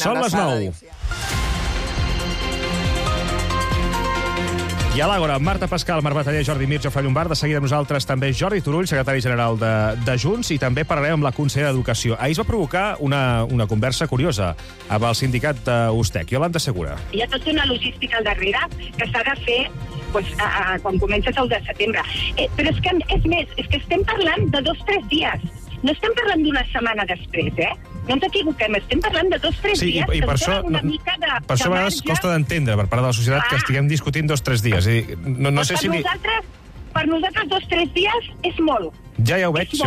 Són les 9. I a l'Àgora, Marta Pascal, Marc Bataller, Jordi Mir, Jofre Llombart, de seguida amb nosaltres també Jordi Turull, secretari general de Junts, i també parlarem amb la consellera d'Educació. Ahir es va provocar una conversa curiosa amb el sindicat d'USTEC. Iolanda Segura. Hi ha tota una logística al darrere que s'ha de fer quan comences el de setembre. Però és que, és que estem parlant de 2 o 3 dies. No estem parlant d'una setmana després, No ens equivoquem, estem parlant de 2 o 3 dies. I per això, una mica de per això a vegades costa d'entendre per part de la societat que estiguem discutint 2 o 3 dies. No sé si... Per nosaltres 2 o 3 dies és molt. Ja ho veig, sí.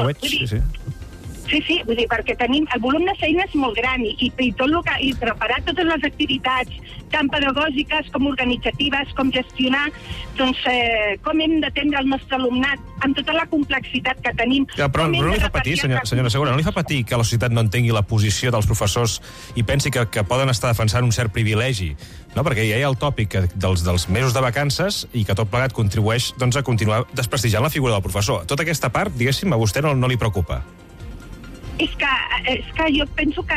Sí, vull dir, perquè tenim... El volum de feina és molt gran i tot el que... I preparar totes les activitats, tant pedagògiques com organitzatives, com gestionar, com hem d'atendre el nostre alumnat amb tota la complexitat que tenim. Però no li fa patir, senyora Segura, no li fa patir que la societat no entengui la posició dels professors i pensi que poden estar defensant un cert privilegi, no? Perquè ja hi ha el tòpic dels mesos de vacances i que tot plegat contribueix a continuar desprestigiant la figura del professor. Tota aquesta part, diguéssim, a vostè no li preocupa. És que jo penso que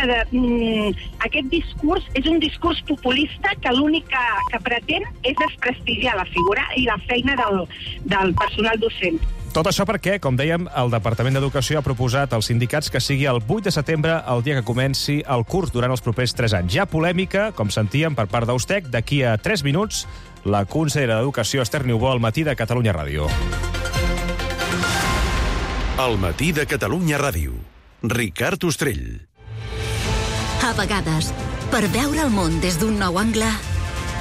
aquest discurs és un discurs populista que l'únic que pretén és desprestigiar la figura i la feina del personal docent. Tot això perquè, com dèiem, el Departament d'Educació ha proposat als sindicats que sigui el 8 de setembre el dia que comenci el curs durant els propers 3 anys. Hi ha polèmica, com sentíem, per part d'USTEC. D'aquí a 3 minuts, la consellera d'Educació, Esther Niubó, al matí de Catalunya Ràdio. Al matí de Catalunya Ràdio. Ricard Ostrell. A vegades, per veure el món des d'un nou angle,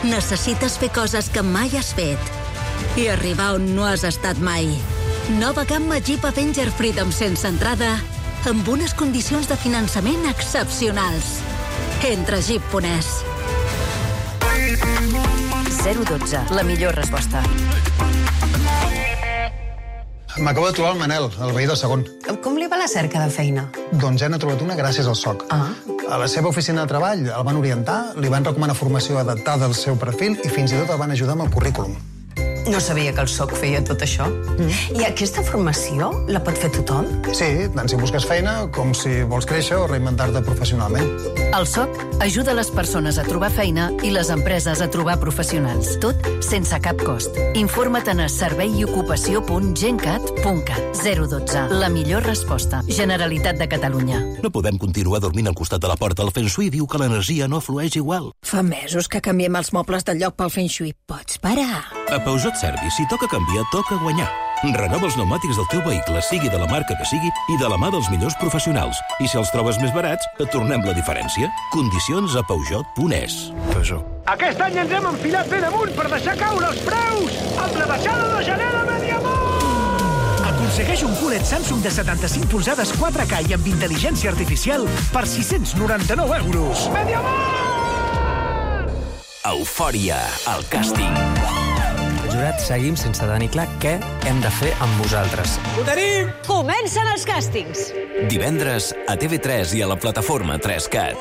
necessites fer coses que mai has fet i arribar on no has estat mai. Nova gamma Jeep Avenger Freedom sense entrada, amb unes condicions de finançament excepcionals. Entra a Jeep.es. 012, la millor resposta. M'acabo de trobar el Manel, el veí del segon. Com li va la cerca de feina? Doncs ja n'ha trobat una gràcies al SOC. A la seva oficina de treball el van orientar, li van recomanar formació adaptada al seu perfil i fins i tot el van ajudar amb el currículum. No sabia que el SOC feia tot això. I aquesta formació la pot fer tothom? Sí, tant si busques feina com si vols créixer o reinventar-te professionalment. El SOC ajuda les persones a trobar feina i les empreses a trobar professionals. Tot sense cap cost. Informa't a serveiocupació.gencat.cat. 012. La millor resposta. Generalitat de Catalunya. No podem continuar dormint al costat de la porta. El Feng Shui diu que l'energia no flueix igual. Fa mesos que canviem els mobles del lloc pel Feng Shui. Pots parar? A Peugeot Service, si toca canviar, toca guanyar. Renova els pneumàtics del teu vehicle, sigui de la marca que sigui, i de la mà dels millors professionals. I si els trobes més barats, et tornem la diferència. Condicions a Peugeot.es. Peugeot. Aquest any ens hem enfilat ben amunt per deixar caure els preus amb la baixada de gener de Mediamar! Aconsegueix un QLED Samsung de 75 polzades 4K i amb intel·ligència artificial per 699 euros. Mediamar! Eufòria, el càsting. Jurat, seguim sense tenir clar què hem de fer amb vosaltres. Ho tenim! Comencen els càstings! Divendres a TV3 i a la plataforma 3Cat.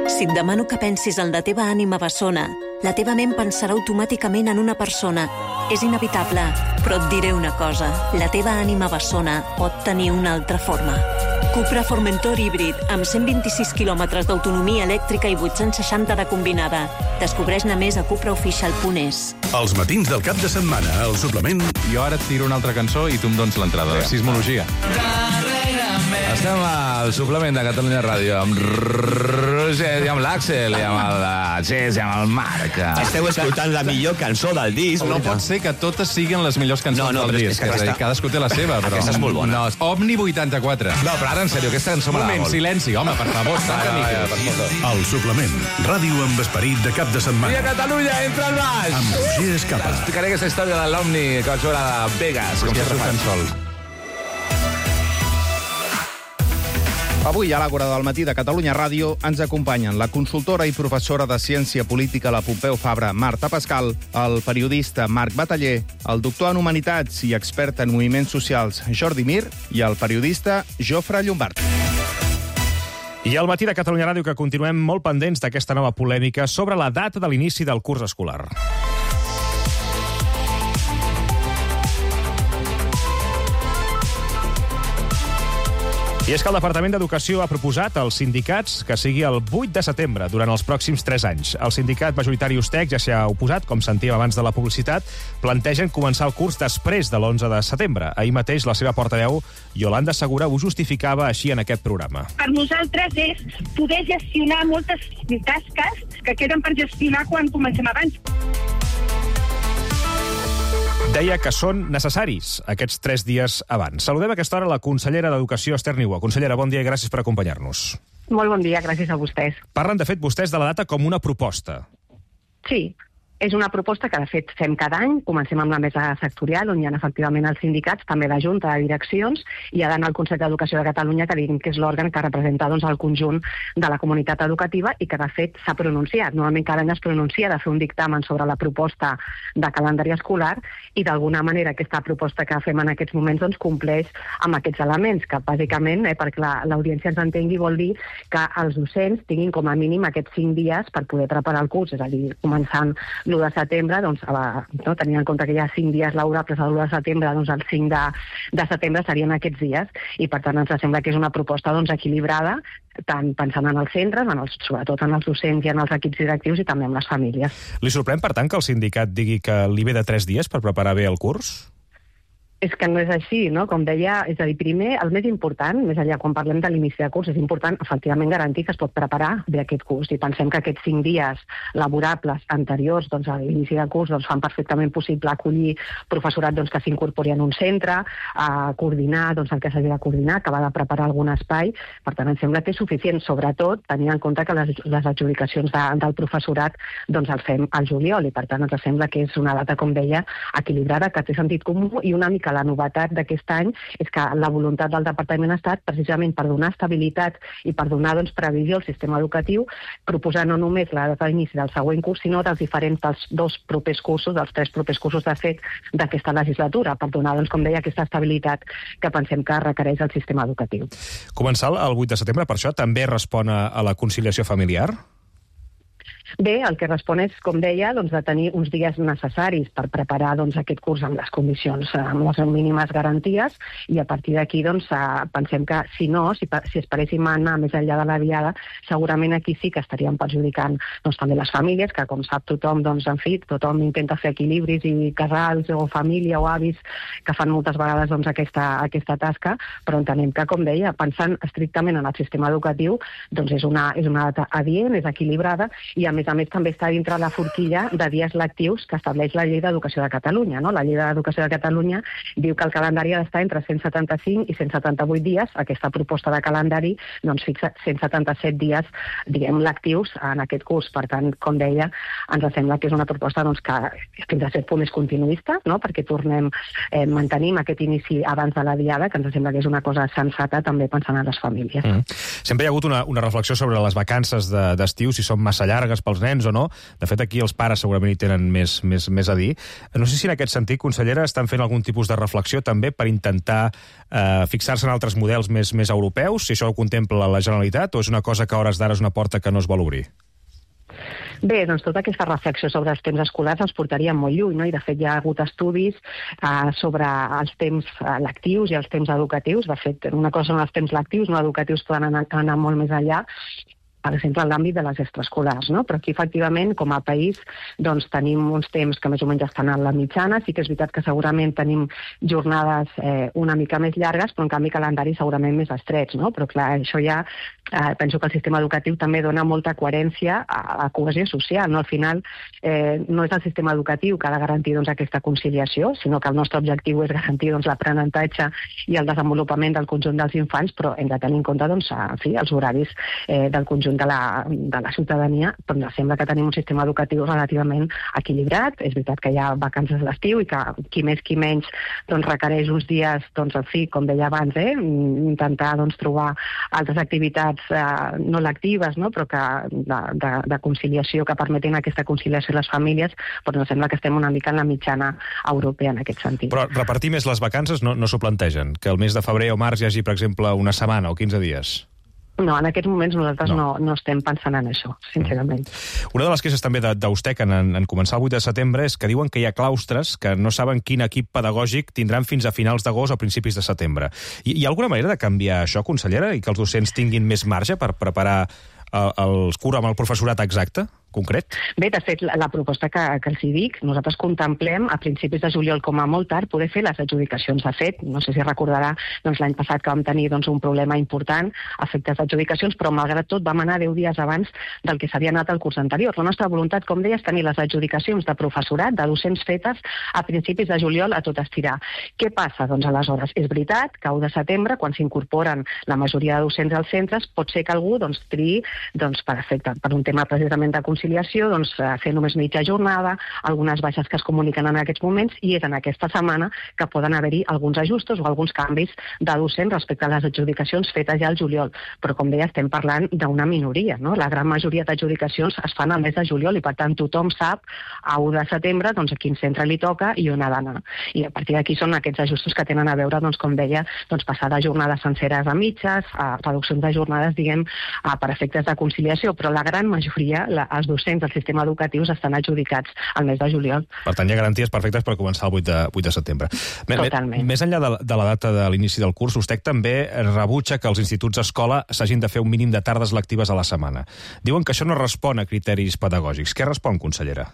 Si et demano que pensis en la teva ànima bessona, la teva ment pensarà automàticament en una persona. És inevitable, però et diré una cosa. La teva ànima bessona pot tenir una altra forma. Cupra Formentor híbrid, amb 126 quilòmetres d'autonomia elèctrica i 860 de combinada. Descobreix-ne més a cupraofficial.es. Els matins del cap de setmana, al suplement... Jo ara et tiro una altra cançó i tu em dones l'entrada. Sismologia. Estem al suplement de Catalunya Ràdio amb Roger, i amb l'Àxel, i amb el Gés, i amb el Marc. Esteu escoltant la millor cançó del disc. No pot ser que totes siguin les millors cançons del disc. Cadascú té la seva, però... Aquesta és molt bona. No, Omni 84. No, però ara, en sèrio, aquesta cançó m'agrada molt. Silenci, home, per favor. El suplement. Ràdio amb esperit de cap de setmana. I a Catalunya, entra al baix! Amb Roger Escapa. Explicaré aquesta història de l'Omni que vaig veure a Vegas, com sempre fan sol. Avui, a l'Àgora del matí de Catalunya Ràdio, ens acompanyen la consultora i professora de Ciència Política a la Pompeu Fabra, Marta Pascal, el periodista Marc Bataller, el doctor en Humanitats i expert en moviments socials Jordi Mir i el periodista Jofre Llombart. I al matí de Catalunya Ràdio que continuem molt pendents d'aquesta nova polèmica sobre la data de l'inici del curs escolar. I és que el Departament d'Educació ha proposat als sindicats que sigui el 8 de setembre, durant els pròxims 3 anys. El sindicat majoritari USTEC ja s'hi ha oposat, com sentíem abans de la publicitat, plantegen començar el curs després de l'11 de setembre. Ahir mateix la seva portaveu, Yolanda Segura, ho justificava així en aquest programa. Per nosaltres és poder gestionar moltes tasques que queden per gestionar quan comencem abans. Deia que són necessaris aquests 3 dies abans. Saludem a aquesta hora la consellera d'Educació, Esther Niubó. Consellera, bon dia i gràcies per acompanyar-nos. Molt bon dia, gràcies a vostès. Parlen, de fet, vostès de la data com una proposta. Sí, és una proposta que, de fet, fem cada any. Comencem amb la mesa sectorial, on hi ha efectivament els sindicats, també la Junta de Direccions, i ha d'anar al Consell d'Educació de Catalunya, que diguem que és l'òrgan que representa el conjunt de la comunitat educativa i que, de fet, s'ha pronunciat. Normalment cada any es pronuncia de fer un dictamen sobre la proposta de calendari escolar i, d'alguna manera, aquesta proposta que fem en aquests moments compleix amb aquests elements, que, bàsicament, perquè l'audiència ens entengui, vol dir que els docents tinguin com a mínim aquests 5 dies per poder preparar el curs, és a dir, començant l'1 de setembre, tenint en compte que hi ha 5 dies laborables a l'1 de setembre, el 5 de setembre serien aquests dies, i per tant ens sembla que és una proposta equilibrada, tant pensant en els centres, sobretot en els docents i en els equips directius i també en les famílies. Li sorprèn, per tant, que el sindicat digui que li ve de 3 dies per preparar bé el curs? És que no és així, no? Com deia, és a dir, primer, el més important, més enllà quan parlem de l'inici de curs, és important, efectivament, garantir que es pot preparar bé aquest curs. I pensem que aquests 5 dies laborables anteriors a l'inici de curs fan perfectament possible acollir professorat que s'incorpori en un centre, a coordinar el que s'hagi de coordinar, acabar de preparar algun espai. Per tant, em sembla que és suficient, sobretot tenint en compte que les adjudicacions del professorat el fem al juliol, i per tant ens sembla que és una data, com deia, equilibrada, que té sentit comú, i una mica la novetat d'aquest any és que la voluntat del Departament ha estat precisament per donar estabilitat i per donar previsió al sistema educatiu, proposar no només la data d'inici del següent curs, sinó dels 2 propers cursos, dels 3 propers cursos de fet d'aquesta legislatura, per donar, com deia, aquesta estabilitat que pensem que requereix el sistema educatiu. Començar el 8 de setembre, per això, també respon a la conciliació familiar? Bé, el que respon és, com deia, de tenir uns dies necessaris per preparar aquest curs amb les condicions, amb les mínimes garanties, i a partir d'aquí pensem que, si esperéssim anar més enllà de la diada, segurament aquí sí que estaríem perjudicant també les famílies, que com sap tothom, en fi, tothom intenta fer equilibris, i casals o família o avis que fan moltes vegades aquesta tasca, però entenem que, com deia, pensant estrictament en el sistema educatiu, és una data adient, és equilibrada, i a més també està dintre la forquilla de dies lectius que estableix la Llei d'Educació de Catalunya. La Llei d'Educació de Catalunya diu que el calendari ha d'estar entre 175 i 178 dies. Aquesta proposta de calendari fixa 177 dies, lectius en aquest curs. Per tant, com deia, ens sembla que és una proposta que fins a cert punt és continuista, perquè mantenim aquest inici abans de la diada, que ens sembla que és una cosa sensata també pensant en les famílies. Sempre hi ha hagut una reflexió sobre les vacances d'estiu, si són massa llargues pels nens o no. De fet, aquí els pares segurament hi tenen més a dir. No sé si en aquest sentit, consellera, estan fent algun tipus de reflexió també per intentar fixar-se en altres models més europeus, si això ho contempla la Generalitat, o és una cosa que a hores d'ara és una porta que no es vol obrir? Bé, tota aquesta reflexió sobre els temps escolars els portaria molt lluny, i de fet hi ha hagut estudis sobre els temps lectius i els temps educatius. De fet, una cosa són els temps lectius, no educatius poden anar molt més enllà, per exemple, en l'àmbit de les extraescolars, però aquí, efectivament, com a país, tenim uns temps que més o menys estan a la mitjana. Sí que és veritat que segurament tenim jornades una mica més llargues, però en canvi calendaris segurament més estrets, Però clar, això ja penso que el sistema educatiu també dona molta coherència a la cohesió social, Al final no és el sistema educatiu que ha de garantir aquesta conciliació, sinó que el nostre objectiu és garantir l'aprenentatge i el desenvolupament del conjunt dels infants, però hem de tenir en compte els horaris del conjunt de la ciutadania, però em sembla que tenim un sistema educatiu relativament equilibrat. És veritat que hi ha vacances a l'estiu i que qui més qui menys requereix uns dies, en fi, com deia abans, intentar trobar altres activitats no lectives, però de conciliació, que permetin aquesta conciliació a les famílies, però em sembla que estem una mica en la mitjana europea en aquest sentit. Però repartir més les vacances no s'ho plantegen? Que el mes de febrer o març hi hagi, per exemple, una setmana o 15 dies? No, en aquests moments nosaltres no estem pensant en això, sincerament. Una de les queixes també d'Ustec en començar el 8 de setembre és que diuen que hi ha claustres que no saben quin equip pedagògic tindran fins a finals d'agost o principis de setembre. Hi ha alguna manera de canviar això, consellera, i que els docents tinguin més marge per preparar el curs amb el professorat exacte, concret? Bé, de fet, la proposta que els hi dic, nosaltres contemplem a principis de juliol, com a molt tard, poder fer les adjudicacions. De fet, no sé si recordarà l'any passat que vam tenir un problema important a efectes d'adjudicacions, però malgrat tot vam anar 10 dies abans del que s'havia anat el curs anterior. La nostra voluntat, com deia, és tenir les adjudicacions de professorat, de docents fetes a principis de juliol a tot estirar. Què passa? Doncs aleshores, és veritat que 1 de setembre, quan s'incorporen la majoria de docents als centres, pot ser que algú triï per un tema precisament de conciliació, fer només mitja jornada, algunes baixes que es comuniquen en aquests moments, i és en aquesta setmana que poden haver-hi alguns ajustos o alguns canvis de docent respecte a les adjudicacions fetes ja al juliol. Però, com deia, estem parlant d'una minoria, no? La gran majoria d'adjudicacions es fan al mes de juliol i, per tant, tothom sap a 1 de setembre a quin centre li toca i on ha d'anar. I a partir d'aquí són aquests ajustos que tenen a veure, com deia, passar de jornades senceres a mitges, a reduccions de jornades, diguem, per efectes de conciliació, però la gran majoria, els docents del sistema educatiu estan adjudicats al mes de juliol. Per tant, hi ha garanties perfectes per començar el 8 de setembre. Totalment. Més enllà de la data de l'inici del curs, Ustec també rebutja que els instituts escola s'hagin de fer un mínim de tardes lectives a la setmana. Diuen que això no respon a criteris pedagògics. Què respon, consellera?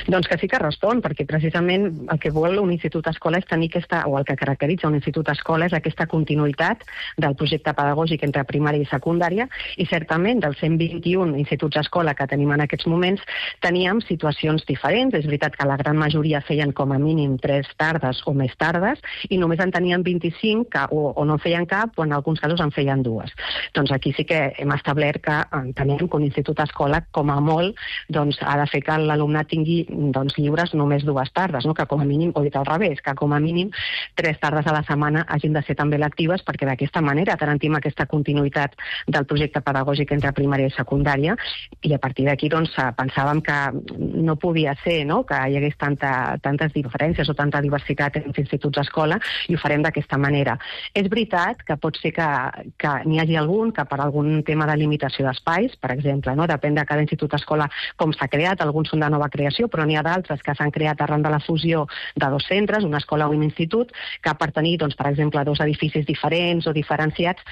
Doncs que sí que respon, perquè precisament el que vol un institut escola és tenir o el que caracteritza un institut escola és aquesta continuïtat del projecte pedagògic entre primària i secundària, i certament dels 121 instituts escola que tenim en aquests moments teníem situacions diferents. És veritat que la gran majoria feien com a mínim 3 tardes o més tardes, i només en tenien 25 que o no en feien cap o en alguns casos en feien 2. Doncs aquí sí que hem establert que entenem que un institut escola com a molt ha de fer que l'alumnat tingui lliures només 2 tardes, que com a mínim, o dit al revés, que com a mínim 3 tardes a la setmana hagin de ser també lectives, perquè d'aquesta manera garantim aquesta continuïtat del projecte pedagògic entre primària i secundària, i a partir d'aquí pensàvem que no podia ser que hi hagués tantes diferències o tanta diversitat entre instituts escola, i ho farem d'aquesta manera. És veritat que pot ser que n'hi hagi algun que per algun tema de limitació d'espais, per exemple, depèn de cada institut escola com s'ha creat, alguns són de nova creació, però n'hi ha d'altres que s'han creat arran de la fusió de 2 centres, una escola o un institut, que per tenir, per exemple, 2 edificis diferents o diferenciats,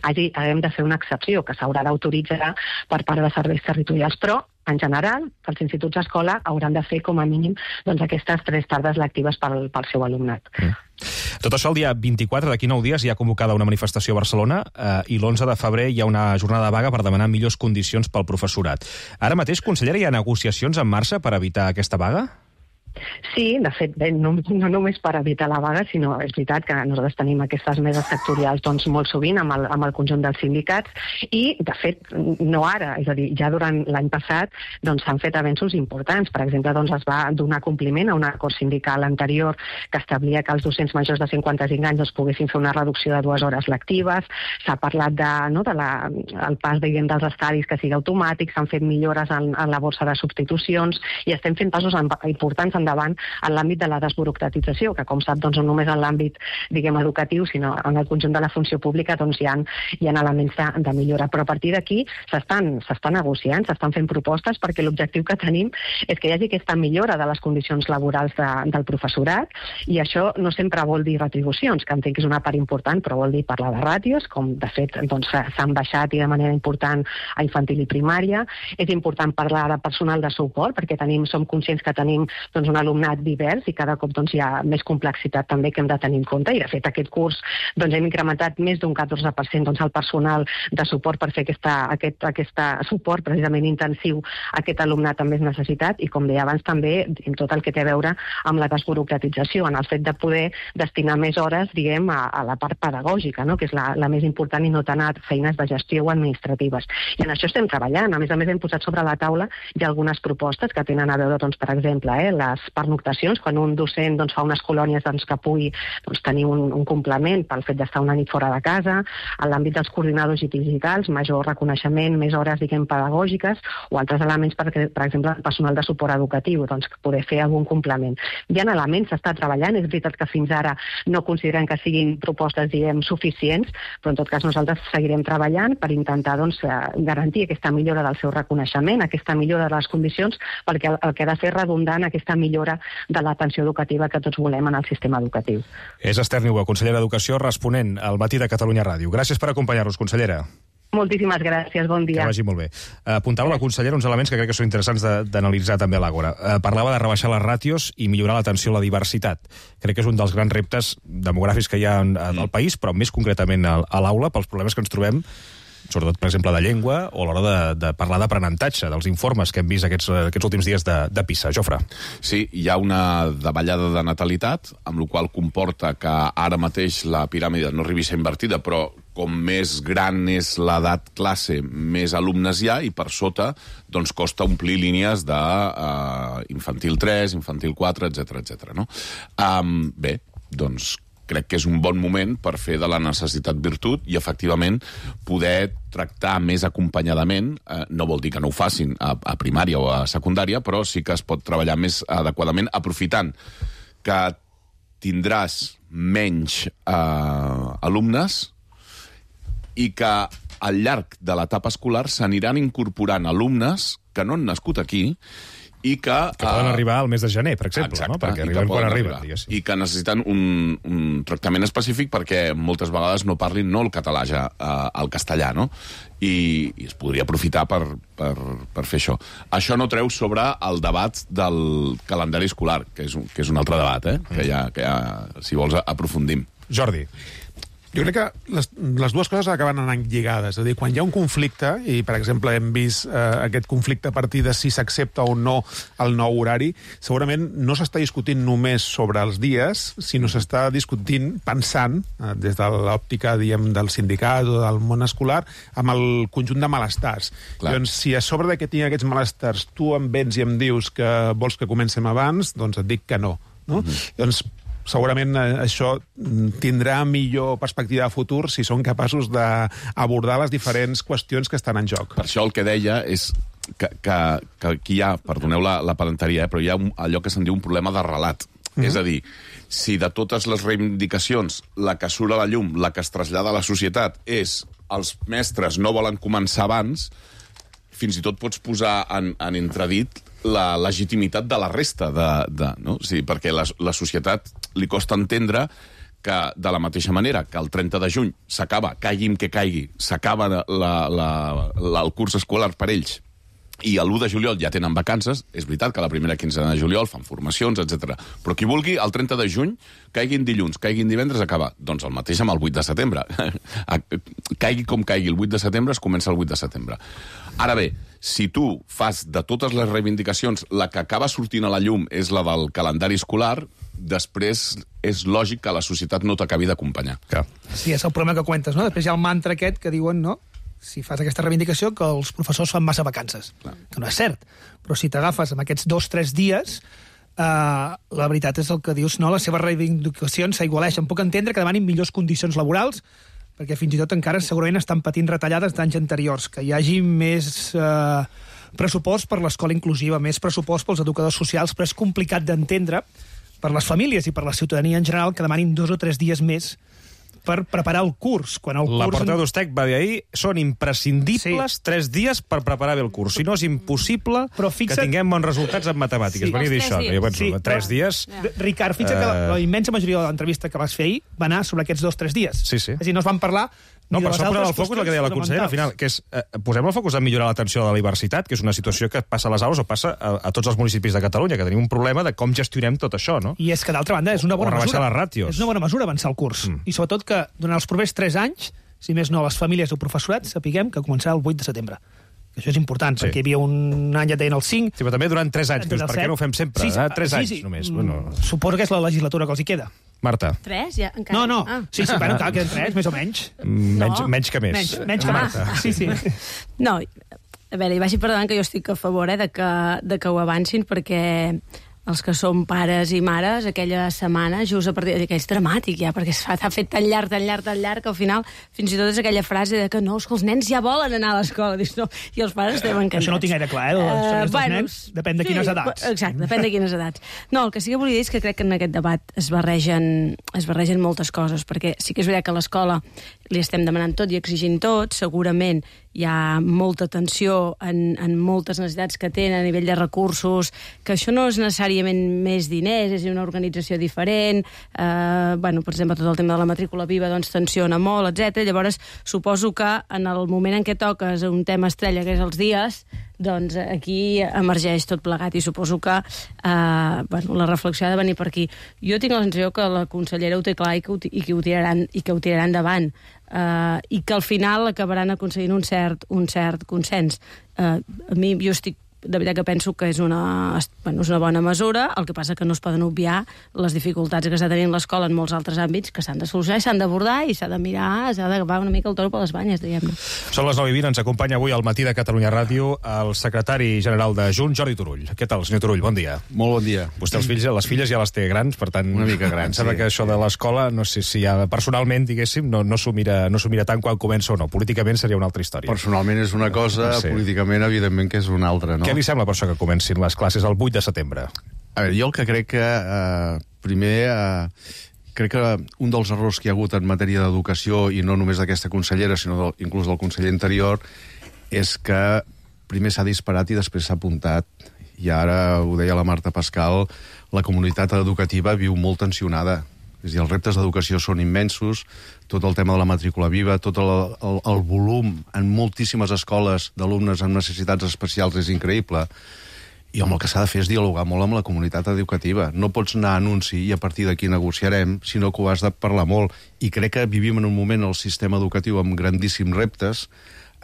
haguem de fer una excepció que s'haurà d'autoritzar per part de serveis territorials. Però, en general, els instituts escola hauran de fer com a mínim aquestes 3 tardes lectives pel seu alumnat. Tot això el dia 24, d'aquí 9 dies, hi ha convocada una manifestació a Barcelona i l'11 de febrer hi ha una jornada de vaga per demanar millors condicions pel professorat. Ara mateix, consellera, hi ha negociacions en marxa per evitar aquesta vaga? Sí, de fet, no només per evitar la vaga, sinó és veritat que nosaltres tenim aquestes meses sectorials molt sovint amb el conjunt dels sindicats, i, de fet, no ara, és a dir, ja durant l'any passat s'han fet avenços importants. Per exemple, es va donar compliment a un acord sindical anterior que establia que els docents majors de 55 anys poguessin fer una reducció de 2 hores lectives. S'ha parlat del pas dels estadis que sigui automàtic, s'han fet millores en la borsa de substitucions, i estem fent passos importants endavant en l'àmbit de la desburocratització, que, com sap, no només en l'àmbit, diguem, educatiu, sinó en el conjunt de la funció pública hi ha elements de millora. Però a partir d'aquí s'està negociant, s'estan fent propostes, perquè l'objectiu que tenim és que hi hagi aquesta millora de les condicions laborals del professorat, i això no sempre vol dir retribucions, que entenc que és una part important, però vol dir parlar de ràtios, com de fet s'han baixat i de manera important a infantil i primària. És important parlar de personal de suport, perquè som conscients que tenim un alumnat divers, i cada cop hi ha més complexitat també que hem de tenir en compte, i de fet aquest curs hem incrementat més d'un 14% el personal de suport per fer aquest suport precisament intensiu a aquest alumnat amb més necessitat, i com deia abans també en tot el que té a veure amb la desburocratització, en el fet de poder destinar més hores, diguem, a la part pedagògica, que és la més important, i no tant a feines de gestió o administratives. I en això estem treballant. A més, hem posat sobre la taula ja algunes propostes que tenen a veure, per exemple, les pernoctacions, quan un docent doncs, fa unes colònies doncs, que pugui tenir un complement pel fet d'estar una nit fora de casa, en l'àmbit dels coordinadors digitals, major reconeixement, més hores, diguem, pedagògiques, o altres elements, per exemple, el personal de suport educatiu, doncs, poder fer algun complement. Hi ha elements, s'està treballant, és veritat que fins ara no considerem que siguin propostes, diguem, suficients, però en tot cas nosaltres seguirem treballant per intentar doncs, garantir aquesta millora del seu reconeixement, aquesta millora de les condicions, perquè el que ha de fer redundant aquesta millora de l'atenció educativa que tots volem en el sistema educatiu. És Esther Niubó, consellera d'Educació, responent al Matí de Catalunya Ràdio. Gràcies per acompanyar-nos, consellera. Moltíssimes gràcies, bon dia. Que vagi molt bé. Apuntava la consellera uns elements que crec que són interessants d'analitzar també a l'Àgora. Parlava de rebaixar les ràtios i millorar l'atenció a la diversitat. Crec que és un dels grans reptes demogràfics que hi ha al país, però més concretament a l'aula, pels problemes que ens trobem, sobretot, per exemple, de llengua, o a l'hora de parlar d'aprenentatge, dels informes que hem vist aquests últims dies de PISA. Jofre. Sí, hi ha una davallada de natalitat, amb la qual comporta que ara mateix la piràmide no arribi a ser invertida, però com més gran és l'edat classe, més alumnes hi ha, i per sota doncs, costa omplir línies d'infantil 3, infantil 4, etc. No? Bé, doncs crec que és un bon moment per fer de la necessitat virtut i, efectivament, poder tractar més acompanyadament. No vol dir que no ho facin a primària o a secundària, però sí que es pot treballar més adequadament, aprofitant que tindràs menys alumnes i que al llarg de l'etapa escolar s'aniran incorporant alumnes que no han nascut aquí i que poden arribar al mes de gener, per exemple. Exacte, no? Perquè arriben quan arriben. I que necessiten un tractament específic perquè moltes vegades no parlin no el català ja, el castellà, no? I es podria aprofitar per fer això. Això no treu sobre el debat del calendari escolar, que és un altre debat, que ja, si vols, aprofundim. Jordi. Jo crec que les dues coses acaben anant lligades. És a dir, quan hi ha un conflicte, i per exemple hem vist aquest conflicte a partir de si s'accepta o no el nou horari, segurament no s'està discutint només sobre els dies, sinó s'està discutint, pensant, des de l'òptica, diguem, del sindicat o del món escolar, amb el conjunt de malestars. Doncs si a sobre que tinc aquests malestars tu em vens i em dius que vols que comencem abans, doncs et dic que no. Doncs segurament això tindrà millor perspectiva de futur si són capaços d'abordar les diferents qüestions que estan en joc. Per això el que deia és que aquí hi ha, perdoneu la pedanteria, però hi ha allò que se'n diu un problema de relat. És a dir, si de totes les reivindicacions la que surt a la llum, la que es trasllada a la societat és els mestres no volen començar abans, fins i tot pots posar en entredit la legitimitat de la resta, no? O sigui, perquè la societat li costa entendre que, de la mateixa manera que el 30 de juny s'acaba, caigui que caigui, s'acaba el curs escolar per ells, i l'1 de juliol ja tenen vacances, és veritat que la primera quinzena de juliol fan formacions, etc. Però qui vulgui, el 30 de juny, caiguin dilluns, caiguin divendres, acaba. Doncs el mateix amb el 8 de setembre. Caigui com caigui el 8 de setembre, es comença el 8 de setembre. Ara bé, si tu fas de totes les reivindicacions la que acaba sortint a la llum és la del calendari escolar, després és lògic que la societat no t'acabi d'acompanyar. Sí, és el problema que comentes, no? Després hi ha el mantra aquest que diuen, no?, si fas aquesta reivindicació, que els professors fan massa vacances. Que no és cert. Però si t'agafes amb aquests 2 o 3 dies, la veritat és el que dius, no? Les seves reivindicacions s'aigualeixen. Puc entendre que demanin millors condicions laborals, perquè fins i tot encara segurament estan patint retallades d'anys anteriors, que hi hagi més pressupost per l'escola inclusiva, més pressupost pels educadors socials, però és complicat d'entendre per les famílies i per la ciutadania en general que demanin 2 o 3 dies més per preparar el curs. La portaveu d'Ustec va dir ahir, són imprescindibles 3 dies per preparar bé el curs. Si no, és impossible que tinguem bons resultats en matemàtiques. Venia a dir això. Jo penso, 3 dies... Ricard, fixa't que la immensa majoria de l'entrevista que vas fer ahir va anar sobre aquests 2 o 3 dies. Sí, sí. És a dir, no es van parlar... No, per això posem el focus, el que deia la consellera, al final, que és posem el focus en millorar l'atenció a la diversitat, que és una situació que passa a les aules o passa a tots els municipis de Catalunya, que tenim un problema de com gestionem tot això, no? I és que, d'altra banda, és una bona mesura. O rebaixar les ràtios. És una bona mesura avançar el curs. I sobretot que, durant els propers 3 anys, si més no, les famílies o professorat sapiguem que començarà el 8 de setembre. Això és important, perquè hi havia un any, ja deien el 5... Sí, però també durant 3 anys. Per què no ho fem sempre? 3 anys només. Suposo que és la legislatura que els hi queda. Marta. 3? Ja, encara? No. Sí, bueno, encara queden 3, més o menys. Menys que més. Menys que Marta. Sí. No, a veure, i vagi perdonant que jo estic a favor de que ho avancin, perquè els que som pares i mares, aquella setmana, just a partir que és dramàtic ja, perquè s'ha fet tan llarg, que al final fins i tot és aquella frase de que no, és que els nens ja volen anar a l'escola, dius, no, i els pares estem encantats. Això no ho tinc gaire clar, els nens, depèn de quines edats. Exacte, depèn de quines edats. No, el que sí que volia dir és que crec que en aquest debat es barregen moltes coses, perquè sí que és veritat que a l'escola li estem demanant tot i exigint tot, segurament hi ha molta tensió en moltes necessitats que tenen a nivell de recursos, que això no és necessàriament més diners, és una organització diferent, per exemple, tot el tema de la matrícula viva doncs tensiona molt, etc. Llavors, suposo que en el moment en què toques un tema estrella, que és els dies, doncs aquí emergeix tot plegat i suposo que la reflexió ha de venir per aquí. Jo tinc la sensació que la consellera ho té clar i que ho tiraran endavant. I que al final acabaran aconseguint un cert consens. A mi, jo estic de veritat que penso que és una bona mesura, el que passa que no es poden obviar les dificultats que està tenint l'escola en molts altres àmbits que s'han de solucionar i s'han d'abordar i s'ha de mirar, s'ha d'agafar una mica el toro per les banyes, diguem-ne. Són les 9:20, ens acompanya avui al Matí de Catalunya Ràdio el secretari general de Junts, Jordi Turull. Què tal, senyor Turull? Bon dia. Molt bon dia. Vostè les filles ja les té grans, per tant... Una mica grans, sembla que això de l'escola, no sé si ja personalment, diguéssim, no s'ho mira tant quan comença o no. Políticament seria una altra història. Personalment és una cosa, políticament, evidentment, que és una altra, no? Què li sembla per això que comencin les classes el 8 de setembre? A veure, jo el que crec que, crec que un dels errors que hi ha hagut en matèria d'educació, i no només d'aquesta consellera, sinó inclús del conseller anterior, és que primer s'ha disparat i després s'ha apuntat. I ara, ho deia la Marta Pascal, la comunitat educativa viu molt tensionada. És a dir, els reptes d'educació són immensos, tot el tema de la matrícula viva, tot el volum en moltíssimes escoles d'alumnes amb necessitats especials és increïble. I el que s'ha de fer és dialogar molt amb la comunitat educativa. No pots anar a anunci i a partir d'aquí negociarem, sinó que ho has de parlar molt. I crec que vivim en un moment al sistema educatiu amb grandíssims reptes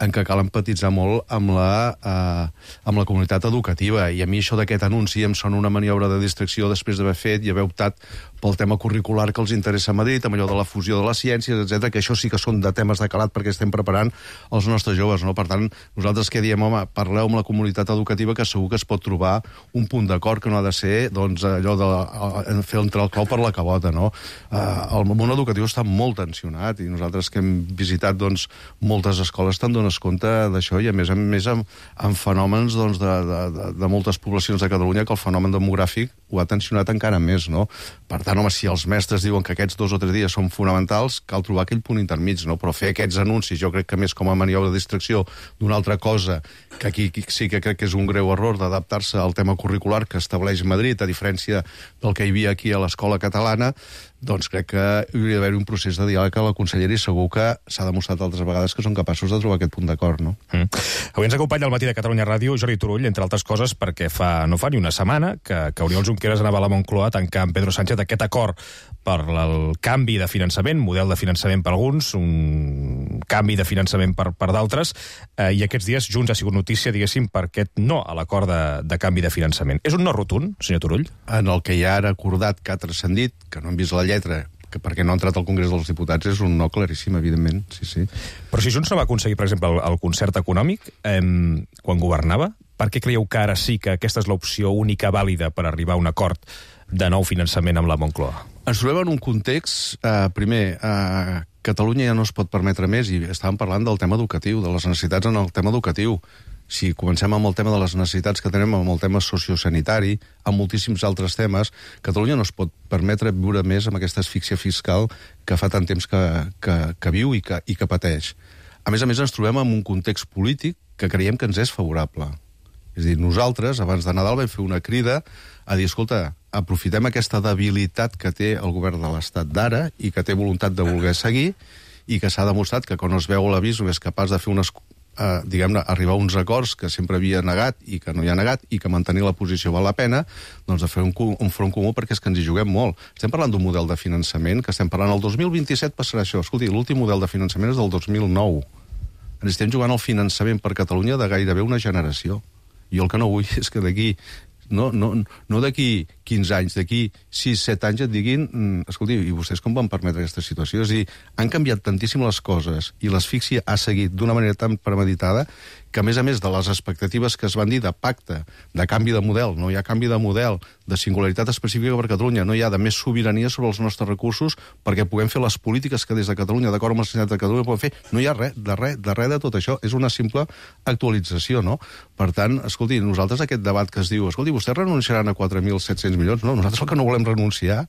en què cal empatitzar molt amb la comunitat educativa. I a mi això d'aquest anunci em sona una maniobra de distracció després d'haver fet i haver optat pel tema curricular que els interessa a Madrid, amb allò de la fusió de les ciències, etc, que això sí que són de temes de calat perquè estem preparant els nostres joves, no? Per tant, nosaltres que diem, home, parleu amb la comunitat educativa que segur que es pot trobar un punt d'acord que no ha de ser, doncs, allò de fer entrar el clau per la cabota, no? El món educatiu està molt tensionat i nosaltres que hem visitat, doncs, moltes escoles te'n dones compte d'això i a més amb fenòmens doncs, de moltes poblacions de Catalunya que el fenomen demogràfic ho ha tensionat encara més, no? Per tant, home, si els mestres diuen que aquests 2 o 3 dies són fonamentals, cal trobar aquell punt intermig, no? Però fer aquests anuncis, jo crec que més com a maniobra de distracció d'una altra cosa, que aquí sí que crec que és un greu error d'adaptar-se al tema curricular que estableix Madrid, a diferència del que hi havia aquí a l'escola catalana, doncs crec que hauria d'haver un procés de diàleg a la consellera i segur que s'ha demostrat altres vegades que són capaços de trobar aquest punt d'acord, no? Avui ens acompanya al Matí de Catalunya Ràdio Jordi Turull, entre altres coses, perquè no fa ni una setmana que Oriol Junqueras anava a la Moncloa a tancar amb Pedro Sánchez aquest acord per el canvi de finançament, model de finançament per alguns, un canvi de finançament per d'altres, i aquests dies Junts ha sigut notícia, diguéssim, per aquest no a l'acord de canvi de finançament. És un no rotund, senyor Turull? En el que ja ara acordat, que ha transcendit, que no hem vist la lletra, que perquè no ha entrat al Congrés dels Diputats és un no claríssim, evidentment, sí. Però si Junts no va aconseguir, per exemple, el concert econòmic quan governava, per què creieu que ara sí que aquesta és l'opció única vàlida per arribar a un acord de nou finançament amb la Moncloa? Ens trobem en un context, primer, Catalunya ja no es pot permetre més, i estàvem parlant del tema educatiu, de les necessitats en el tema educatiu. Si comencem amb el tema de les necessitats que tenim, amb el tema sociosanitari, amb moltíssims altres temes, Catalunya no es pot permetre viure més amb aquesta asfíxia fiscal que fa tant temps que viu i que pateix. A més, ens trobem en un context polític que creiem que ens és favorable. És a dir, nosaltres, abans de Nadal, vam fer una crida a dir, escolta, aprofitem aquesta debilitat que té el govern de l'Estat d'ara i que té voluntat de voler seguir i que s'ha demostrat que quan es veu l'avís no és capaç de fer arribar a uns acords que sempre havia negat i que no hi ha negat i que mantenir la posició val la pena, doncs de fer un front comú perquè és que ens hi juguem molt. Estem parlant d'un model de finançament que estem parlant el 2027 passarà això. Escolti, l'últim model de finançament és del 2009. Ens estem jugant el finançament per Catalunya de gairebé una generació. Jo el que no vull és que d'aquí, no d'aquí 15 anys, d'aquí 6-7 anys et diguin, escolti, i vostès com van permetre aquesta situació? És a dir, han canviat tantíssim les coses i l'asfíxia ha seguit d'una manera tan premeditada que, a més de les expectatives que es van dir de pacte, de canvi de model, no hi ha canvi de model, de singularitat específica per Catalunya, no hi ha de més sobirania sobre els nostres recursos perquè puguem fer les polítiques que des de Catalunya, d'acord amb la societat de Catalunya, podem fer. No hi ha res de tot això. És una simple actualització, no? Per tant, escolti, nosaltres aquest debat que es diu, escolti, vostès renunciaran a 4.700 milions? No, nosaltres el que no volem renunciar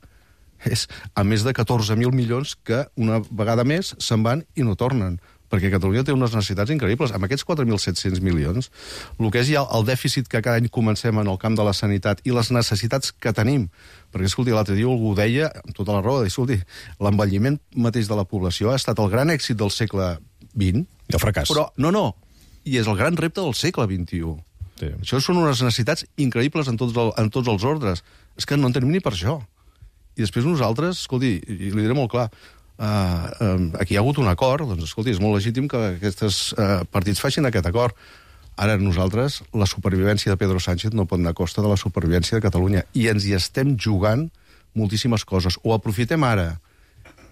és a més de 14.000 milions que una vegada més se'n van i no tornen, perquè Catalunya té unes necessitats increïbles. Amb aquests 4.700 milions, el que és ja el dèficit que cada any comencem en el camp de la sanitat i les necessitats que tenim, perquè, escolti, l'altre dia algú deia, amb tota la raó, escolti, l'envelliment mateix de la població ha estat el gran èxit del segle XX. I el fracàs. Però, no, i és el gran repte del segle XXI. Sí. Això són unes necessitats increïbles en tots els ordres. És que no en tenim ni per això. I després nosaltres, escolti, i li diré molt clar, aquí hi ha hagut un acord, doncs, escolti, és molt legítim que aquests partits facin aquest acord. Ara nosaltres, la supervivència de Pedro Sánchez no pot anar a costa de la supervivència de Catalunya, i ens hi estem jugant moltíssimes coses. Ho aprofitem ara,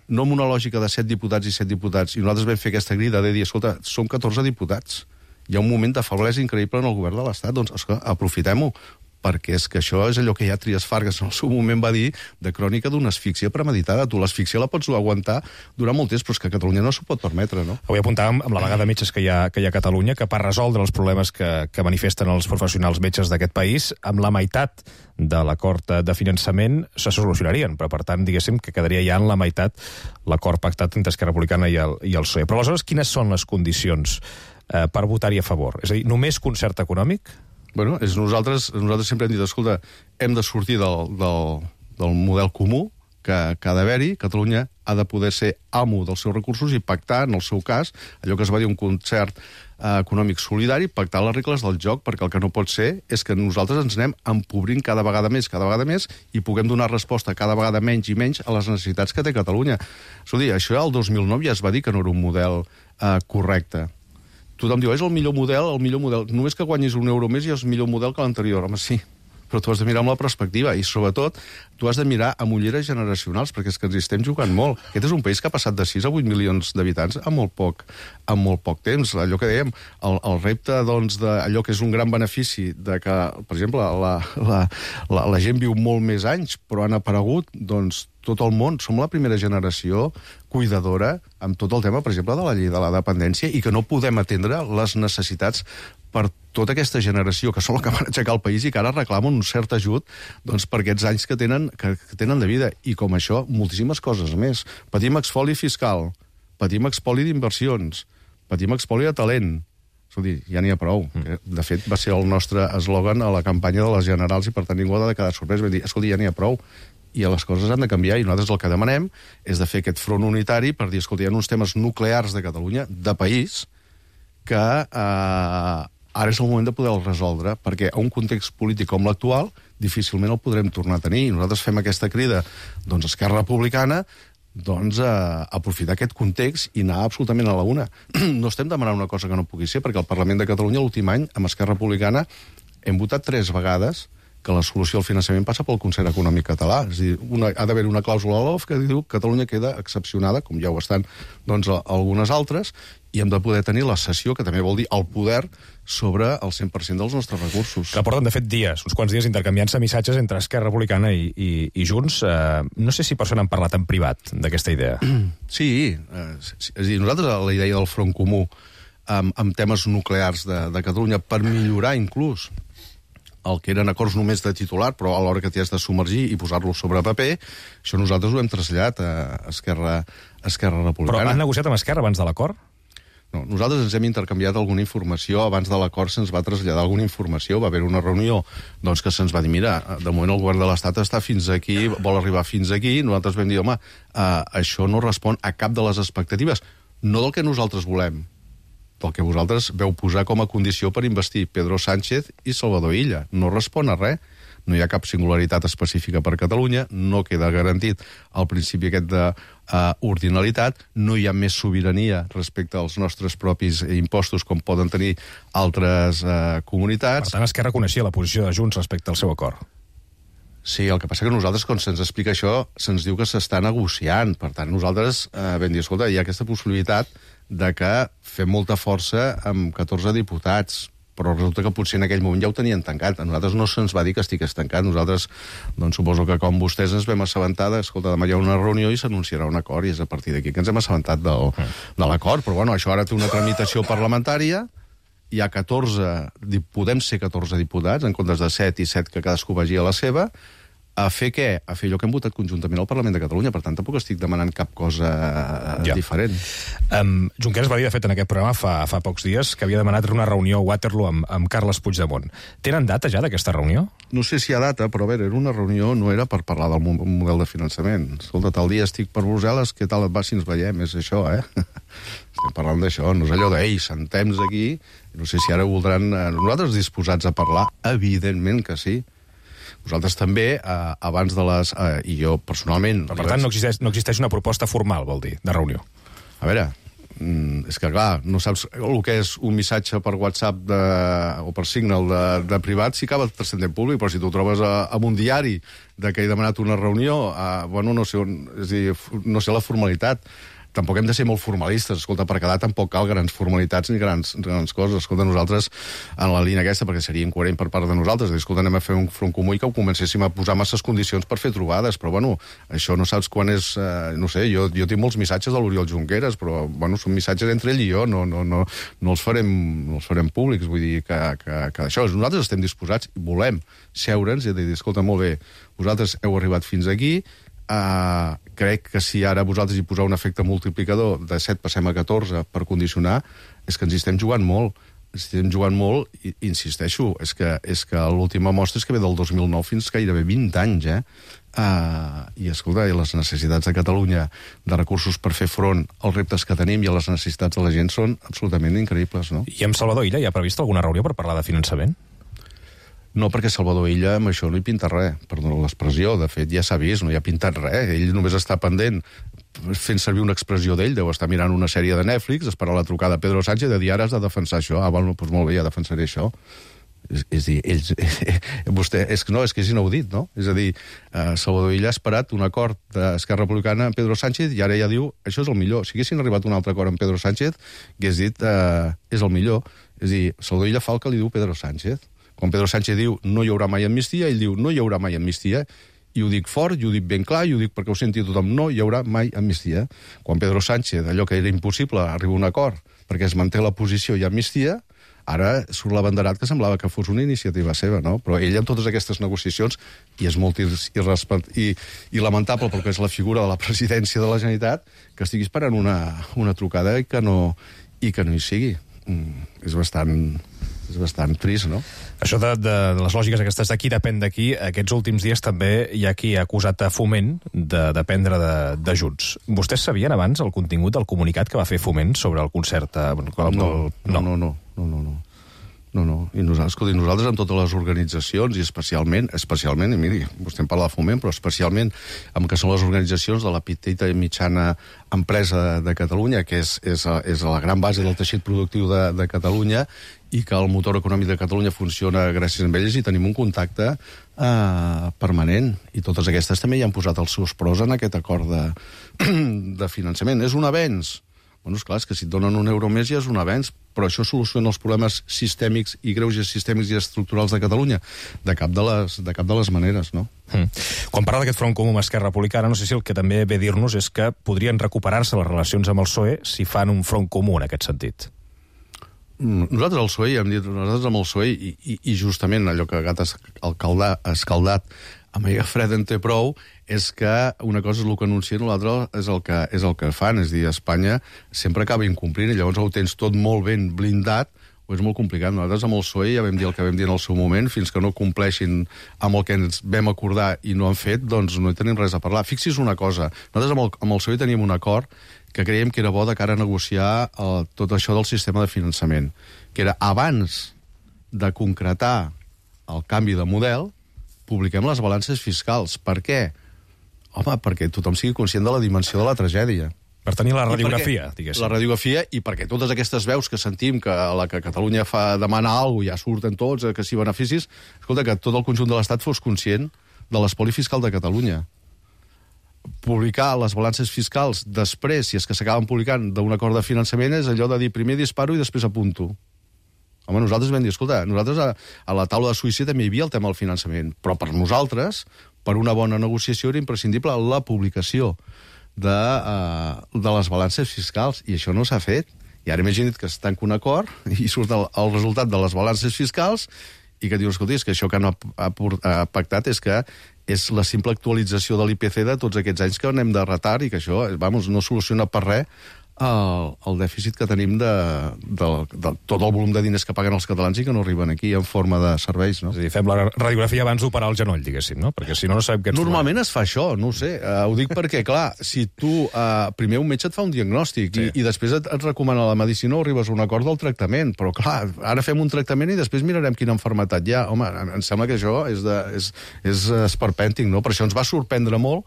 no amb una lògica de 7 diputats i 7 diputats, i nosaltres vam fer aquesta crida de dir, escolta, som 14 diputats, hi ha un moment de feblesa increïble en el govern de l'Estat, doncs aprofitem-ho, perquè és que això és allò que ja Trias Fargas en el seu moment va dir de crònica d'una asfíxia premeditada. Tu l'asfíxia la pots aguantar durant molt temps, però és que Catalunya no s'ho pot permetre, no? Avui apuntàvem amb la vaga de metges que hi ha a Catalunya, que per resoldre els problemes que manifesten els professionals metges d'aquest país, amb la meitat de l'acord de finançament se solucionarien, però per tant, diguéssim, que quedaria ja en la meitat l'acord pactat entre Esquerra Republicana i el PSOE. Però aleshores, quines són les condicions per votar-hi a favor? És a dir, només concert econòmic? Bueno, nosaltres sempre hem dit, escolta, hem de sortir del model comú que ha d'haver-hi. Catalunya ha de poder ser amo dels seus recursos i pactar, en el seu cas, allò que es va dir un concert econòmic solidari, pactar les regles del joc, perquè el que no pot ser és que nosaltres ens anem empobrint cada vegada més, i puguem donar resposta cada vegada menys i menys a les necessitats que té Catalunya. Escolta, això el 2009 ja es va dir que no era un model correcte. Tothom diu, és el millor model. Només que guanyis €1 més ja és el millor model que l'anterior. Home, sí, però tu has de mirar amb la perspectiva i, sobretot, tu has de mirar amb ulleres generacionals, perquè és que ens hi estem jugant molt. Aquest és un país que ha passat de 6 a 8 milions d'habitants en molt poc temps. Allò que dèiem, el repte d'allò que és un gran benefici de que, per exemple, la gent viu molt més anys, però han aparegut, doncs, tot el món. Som la primera generació cuidadora amb tot el tema, per exemple, de la llei de la dependència, i que no podem atendre les necessitats per tota aquesta generació, que són els que van aixecar el país i que ara reclamen un cert ajut, doncs, per aquests anys que tenen de vida. I com això, moltíssimes coses més. Patim espoli fiscal, patim espoli d'inversions, patim espoli de talent. Escolti, ja n'hi ha prou. De fet, va ser el nostre eslògan a la campanya de les generals i, per tant, ningú ha de quedar sorprès. Vam dir, escolti, ja n'hi ha prou. I les coses han de canviar, i nosaltres el que demanem és de fer aquest front unitari per dir, escolta, hi ha uns temes nuclears de Catalunya, de país, que ara és el moment de poder-los resoldre, perquè a un context polític com l'actual difícilment el podrem tornar a tenir. I nosaltres fem aquesta crida, doncs, Esquerra Republicana, doncs, aprofitar aquest context i anar absolutament a la una. No estem demanant una cosa que no pugui ser, perquè al Parlament de Catalunya l'últim any, amb Esquerra Republicana, hem votat 3 vegades que la solució al finançament passa pel Concert Econòmic Català. És a dir, ha d'haver una clàusula a l'OF que diu que Catalunya queda excepcionada, com ja ho estan, doncs, algunes altres, i hem de poder tenir la cessió, que també vol dir el poder, sobre el 100% dels nostres recursos. Que porten, de fet, uns quants dies intercanviant-se missatges entre Esquerra Republicana i Junts. No sé si per això n'han parlat en privat, d'aquesta idea. Sí, és a dir, nosaltres la idea del front comú amb temes nuclears de Catalunya per millorar inclús el que eren acords només de titular, però a l'hora que t'hi has de submergir i posar-lo sobre paper, això nosaltres ho hem traslladat a Esquerra Republicana. Però han negociat amb Esquerra abans de l'acord? No, nosaltres ens hem intercanviat alguna informació. Abans de l'acord se'ns va traslladar alguna informació. Va haver una reunió doncs, que se'ns va dir, mira, de moment el govern de l'Estat està fins aquí, vol arribar fins aquí. Nosaltres vam dir, home, això no respon a cap de les expectatives. No del que nosaltres volem, del que vosaltres veu posar com a condició per investir Pedro Sánchez i Salvador Illa. No respon a res. No hi ha cap singularitat específica per Catalunya, no queda garantit el principi aquest d'ordinalitat, no hi ha més sobirania respecte als nostres propis impostos com poden tenir altres comunitats. Per tant, Esquerra coneixia la posició de Junts respecte al seu acord. Sí, el que passa que nosaltres, quan se'ns explica això, se'ns diu que s'està negociant. Per tant, nosaltres vam dir, escolta, hi ha aquesta possibilitat de que fem molta força amb 14 diputats, però resulta que potser en aquell moment ja ho tenien tancat. A nosaltres no se'ns va dir que estigués tancat. Nosaltres, doncs, suposo que com vostès ens vam assabentar escolta, demà hi ha una reunió i s'anunciarà un acord, i és a partir d'aquí que ens hem assabentat de l'acord. Però, bueno, això ara té una tramitació parlamentària, hi ha 14, podem ser 14 diputats, en comptes de 7 i 7 que cadascú vagi a la seva, a fer què? A fer allò que hem votat conjuntament al Parlament de Catalunya. Per tant, tampoc estic demanant cap cosa diferent. Junqueras va dir, de fet, en aquest programa fa pocs dies que havia demanat una reunió a Waterloo amb Carles Puigdemont. Tenen data ja d'aquesta reunió? No sé si hi ha data, però a veure, era una reunió, no era per parlar del model de finançament. Escolta, tal dia estic per Brussel·les, què tal et va si ens veiem? És això, Estem parlant d'això, no és allò de, sentem-nos aquí, no sé si ara voldran nosaltres disposats a parlar, evidentment que sí. Vosaltres també, abans de les... I jo, personalment... Per tant, no existeix una proposta formal, vol dir, de reunió. A veure, és que, clar, no saps el que és un missatge per WhatsApp o per Signal de privat si acaba transcendent públic, però si tu ho trobes en un diari de que he demanat una reunió, bueno, no sé, és a dir, no sé la formalitat. Tampoc hem de ser molt formalistes. Escolta, per quedar tampoc cal grans formalitats ni grans coses. Escolta, nosaltres, en la línia aquesta, perquè seria incoherent per part de nosaltres, escolta, anem a fer un front comú i que ho comencéssim a posar masses condicions per fer trobades, però, bueno, això no saps quan és... no sé, jo tinc molts missatges de l'Oriol Junqueras, però, bueno, són missatges entre ell i jo, no els farem públics, vull dir que això, nosaltres estem disposats, volem seure'ns i dir, escolta, molt bé, vosaltres heu arribat fins aquí, crec que si ara vosaltres hi poseu un efecte multiplicador de 7 passem a 14 per condicionar, és que ens hi estem jugant molt. I insisteixo, és que l'última mostra és que ve del 2009 fins gairebé 20 anys, I, escolta, i les necessitats de Catalunya de recursos per fer front als reptes que tenim i a les necessitats de la gent són absolutament increïbles, no? I amb Salvador Illa hi ha previst alguna reunió per parlar de finançament? No, perquè Salvador Illa amb això no hi pinta res, perdona l'expressió, de fet ja s'ha vist, no hi ha pintat res, ell només està pendent fent servir una expressió d'ell, deu estar mirant una sèrie de Netflix, esperar la trucada de Pedro Sánchez de dir ara has de defensar això, bueno, doncs molt bé, ja defensaré això. És dir, vostè, és que és inaudit, no? És a dir, Salvador Illa ha esperat un acord d'Esquerra Republicana amb Pedro Sánchez i ara ja diu, això és el millor. Si haguessin arribat a un altre acord amb Pedro Sánchez, hagués dit, és el millor. És a dir, Salvador Illa fa el que li diu Pedro Sánchez. Quan Pedro Sánchez diu no hi haurà mai amnistia, ell diu no hi haurà mai amnistia, i ho dic fort, i ho dic ben clar, i ho dic perquè ho senti tothom, no hi haurà mai amnistia. Quan Pedro Sánchez, allò que era impossible, arriba a un acord perquè es manté la posició i amnistia, ara surt l'abanderat que semblava que fos una iniciativa seva, no? Però ell, amb totes aquestes negociacions, i és molt i lamentable perquè és la figura de la presidència de la Generalitat, que estigui esperant una trucada i que no hi sigui. És bastant trist, no? Això de les lògiques aquestes d'aquí depèn d'aquí, aquests últims dies també hi ha qui ha acusat a Foment de dependre de Junts. Vostès sabien abans el contingut del comunicat que va fer Foment sobre el concert? No. I nosaltres amb totes les organitzacions, i especialment, i miri, vostè en parla de Foment, però especialment amb que són les organitzacions de la petita i mitjana empresa de Catalunya, que és la gran base del teixit productiu de Catalunya, i que el motor econòmic de Catalunya funciona gràcies a ells, i tenim un contacte permanent. I totes aquestes també hi han posat els seus pros en aquest acord de finançament. És un avenç? Bueno, esclar, és que si et donen €1 més ja és un avenç, però això soluciona els problemes sistèmics i greuges sistèmics i estructurals de Catalunya? De cap de les maneres, no? Quan parla d'aquest front comú amb Esquerra Republicana, no sé si el que també ve a dir-nos és que podrien recuperar-se les relacions amb el PSOE si fan un front comú en aquest sentit. Nosaltres al PSOE, ja hem dit, nosaltres amb el PSOE, i justament allò que gat escaldat amb aigua freda en té prou, és que una cosa és el que anuncien, l'altra és el que fan. És a dir, Espanya sempre acaba incomplint, i llavors ho tens tot molt ben blindat, o és molt complicat. Nosaltres amb el PSOE ja vam dir el que vam dir en el seu moment, fins que no compleixin amb el que ens vam acordar i no han fet, doncs no hi tenim res a parlar. Fixi's una cosa, nosaltres amb el PSOE teníem un acord que creiem que era bo de cara a negociar tot això del sistema de finançament, que era abans de concretar el canvi de model, publiquem les balances fiscals. Per què? Home, perquè tothom sigui conscient de la dimensió de la tragèdia. Per tenir la radiografia, diguéssim. La radiografia, i perquè totes aquestes veus que sentim que a la que Catalunya demana alguna cosa, ja surten tots, que si beneficis, escolta, que tot el conjunt de l'Estat fos conscient de l'espoli fiscal de Catalunya. publicar les balances fiscals després, si és que s'acaben publicant d'un acord de finançament, és allò de dir primer disparo i després apunto. Home, nosaltres vam dir, escolta, nosaltres a la taula de Suïssa també hi havia el tema del finançament, però per nosaltres, per una bona negociació, era imprescindible la publicació de les balances fiscals, i això no s'ha fet. I ara imagina't que es tanca un acord i surt el resultat de les balances fiscals i que dius, escolta, és que això que no ha pactat és que és la simple actualització de l'IPC de tots aquests anys que anem de retard i que això, vamos, no soluciona per res el dèficit que tenim de tot el volum de diners que paguen els catalans i que no arriben aquí en forma de serveis, no? És a dir, fem la radiografia abans d'operar el genoll, diguéssim, no? Perquè si no, no sabem què ens Normalment es fa això, no ho sé. Ho dic perquè, clar, si tu... primer un metge et fa un diagnòstic i després et recomana la medicina o arribes a un acord del tractament, però, clar, ara fem un tractament i després mirarem quina malaltia hi ha. Home, em sembla que això és esperpèntic, no? Per això ens va sorprendre molt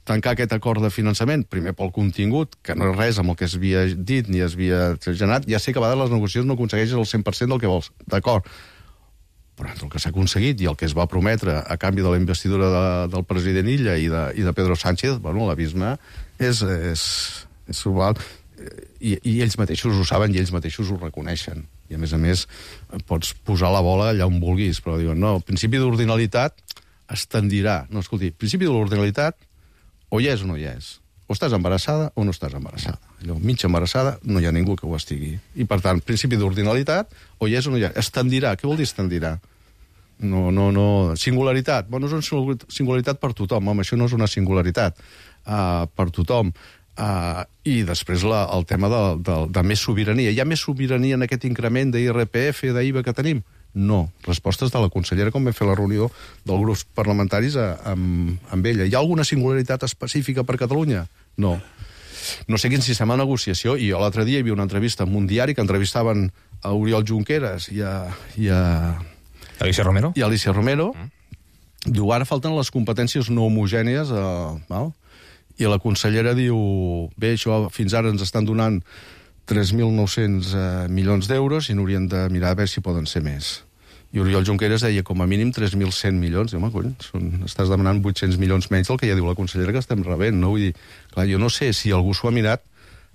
tancar aquest acord de finançament, primer pel contingut, que no és res amb el que s'havia dit ni s'havia generat. Ja sé que a vegades les negociacions no aconsegueixes el 100% del que vols, d'acord. Però entre el que s'ha aconseguit i el que es va prometre a canvi de la investidura del president Illa i de Pedro Sánchez, bueno, l'abisme és global. I ells mateixos ho saben i ells mateixos ho reconeixen. I a més, pots posar la bola allà on vulguis, però diuen, no, el principi d'ordinalitat es tendirà. No, escolti, el principi de l'ordinalitat o hi és o no hi és. O estàs embarassada o no estàs embarassada. Allò, mig embarassada, no hi ha ningú que ho estigui. I, per tant, principi d'ordinalitat, o hi és o no hi és. Es tendirà. Què vol dir es tendirà? No. Singularitat. Bueno, és una singularitat per tothom. Home, això no és una singularitat per tothom. I després el tema de més sobirania. Hi ha més sobirania en aquest increment d'IRPF, d'IVA que tenim? No. Respostes de la consellera quan vam fer la reunió dels grups parlamentaris amb ella. Hi ha alguna singularitat específica per Catalunya? No. No sé quin sistema de negociació. I l'altre dia hi havia una entrevista en un diari que entrevistaven a Oriol Junqueras i a Alicia Romero. I a Alicia Romero. Diu, ara falten les competències no homogènies. I la consellera diu, bé, això fins ara ens estan donant 3.900 milions d'euros i n'haurien de mirar a veure si poden ser més. I Oriol Junqueras deia com a mínim 3.100 milions. I, home, cony, estàs demanant 800 milions menys del que ja diu la consellera que estem rebent, no? Vull dir, clar, jo no sé si algú s'ho ha mirat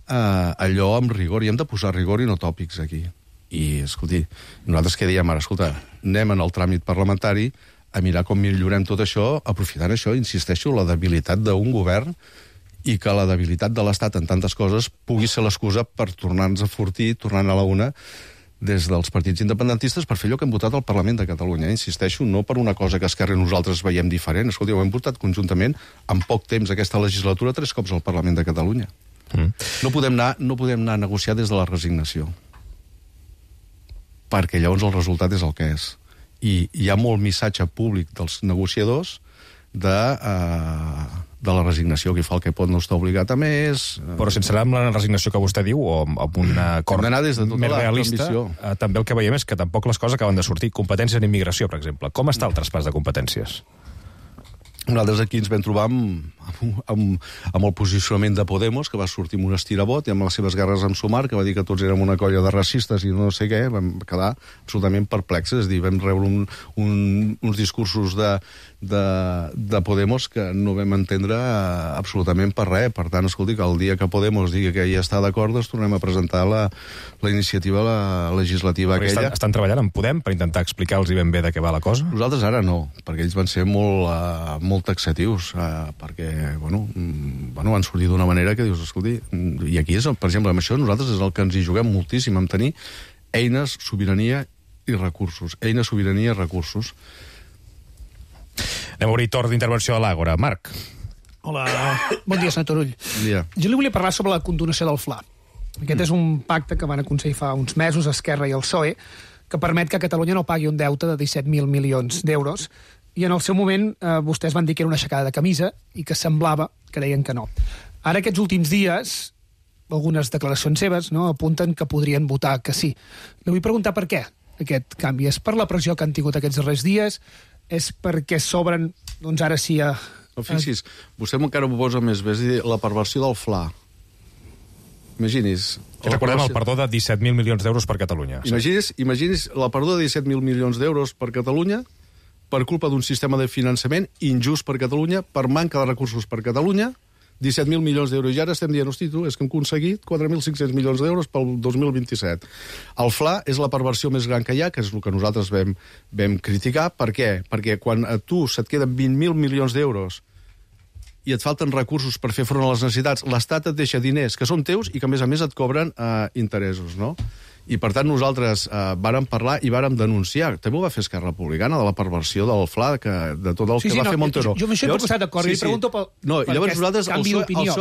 allò amb rigor, i hem de posar rigor i no tòpics aquí. I, escolti, nosaltres què diem ara? Escolta, anem en el tràmit parlamentari a mirar com millorem tot això, aprofitant això, insisteixo, la debilitat d'un govern i que la debilitat de l'Estat en tantes coses pugui ser l'excusa per tornar-nos a fortir, tornant a la una, des dels partits independentistes per fer allò que hem votat al Parlament de Catalunya. Insisteixo, no per una cosa que Esquerra i nosaltres veiem diferent. Escolti, ho hem votat conjuntament en poc temps aquesta legislatura 3 cops al Parlament de Catalunya. No podem anar a negociar des de la resignació. Perquè llavors el resultat és el que és. I hi ha molt missatge públic dels negociadors de la resignació, qui fa el que pot no està obligat a més. Però sense anar amb la resignació que vostè diu, o amb un acord més realista, també el que veiem és que tampoc les coses acaben de sortir. Competències en immigració, per exemple. Com està el traspàs de competències? Nosaltres aquí ens vam trobar amb el posicionament de Podemos, que va sortir amb un estirabot, i amb les seves guerres amb Sumar, que va dir que tots érem una colla de racistes i no sé què. Vam quedar absolutament perplexes. És a dir, vam rebre uns discursos de Podemos que no vam entendre absolutament per res. Per tant, escolti, que el dia que Podemos digui que ja està d'acord, doncs tornem a presentar la iniciativa legislativa aquella. Estan treballant amb Podem per intentar explicar-los ben bé de què va la cosa? Nosaltres ara no, perquè ells van ser molt taxatius, perquè, van sortir d'una manera que dius, escolti, i aquí és, per exemple, amb això nosaltres és el que ens hi juguem moltíssim, en tenir eines, sobirania i recursos. Eines, sobirania i recursos. Anem a obrir torn d'intervenció a l'Àgora. Marc. Hola, bon dia, senyor Turull. Bon dia. Jo li volia parlar sobre la condonació del FLA. Aquest és un pacte que van aconseguir fa uns mesos Esquerra i el PSOE, que permet que Catalunya no pagui un deute de 17.000 milions d'euros, i en el seu moment vostès van dir que era una aixecada de camisa i que semblava que deien que no. Ara, aquests últims dies, algunes declaracions seves apunten que podrien votar que sí. Li vull preguntar per què aquest canvi. És per la pressió que han tingut aquests darrers dies? És perquè s'obren, doncs ara sí... No, fixis, vostè encara m'ho posa més bé, és a dir, la perversió del FLA. Imaginis... Recordem el perdó de 17.000 milions d'euros per Catalunya. Imaginis la perdó de 17.000 milions d'euros per Catalunya per culpa d'un sistema de finançament injust per Catalunya, per manca de recursos per Catalunya, 17.000 milions d'euros. I ara estem dient, hosti, tu, és que hem aconseguit 4.500 milions d'euros pel 2027. El FLA és la perversió més gran que hi ha, que és el que nosaltres vam criticar. Per què? Perquè quan a tu se't queden 20.000 milions d'euros i et falten recursos per fer front a les necessitats, l'Estat et deixa diners que són teus i que, a més et cobren interessos, no? I, per tant, nosaltres vàrem parlar i vàrem denunciar. També ho va fer Esquerra Republicana, de la perversió del FLA, de tot el que va fer Montero. Jo amb això hi puc estar d'acord, i li pregunto per aquest canvi d'opinió.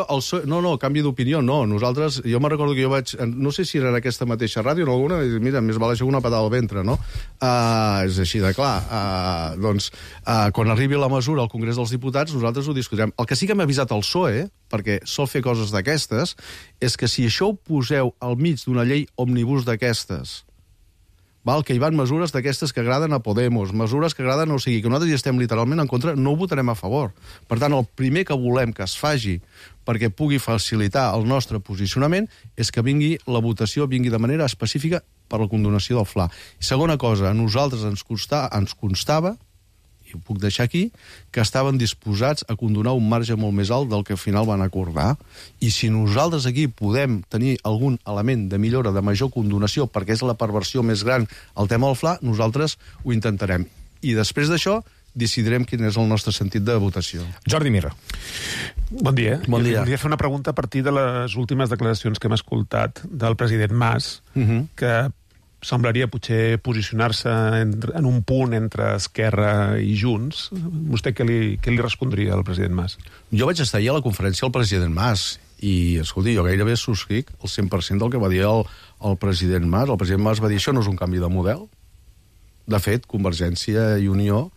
No, canvi d'opinió, no. Nosaltres, jo me'n recordo que jo vaig... No sé si era en aquesta mateixa ràdio o en alguna, i mira, més val això una patada al ventre, no? És així de clar. Doncs, quan arribi la mesura al Congrés dels Diputats, nosaltres ho discutirem. El que sí que hem avisat al PSOE, perquè sol fer coses d'aquestes, és que si això ho poseu al mig d'una llei òmnibus d'aquestes, que hi van mesures d'aquestes que agraden a Podemos, mesures que agraden, o sigui, que nosaltres hi estem literalment en contra, no ho votarem a favor. Per tant, el primer que volem que es faci perquè pugui facilitar el nostre posicionament és que vingui la votació, vingui de manera específica per la condonació del FLA. I segona cosa, a nosaltres ens constava, i ho puc deixar aquí, que estaven disposats a condonar un marge molt més alt del que al final van acordar. I si nosaltres aquí podem tenir algun element de millora, de major condonació, perquè és la perversió més gran, el tema del FLA, nosaltres ho intentarem. I després d'això, decidirem quin és el nostre sentit de votació. Jordi Mirra. Bon dia. Bon dia. Volia fer una pregunta a partir de les últimes declaracions que hem escoltat del president Mas, que semblaria potser posicionar-se en un punt entre Esquerra i Junts. Vostè què li respondria al president Mas? Jo vaig estar ahir a la conferència del president Mas i, escolti, jo gairebé subscric el 100% del que va dir el president Mas. El president Mas va dir, això no és un canvi de model. De fet, Convergència i Unió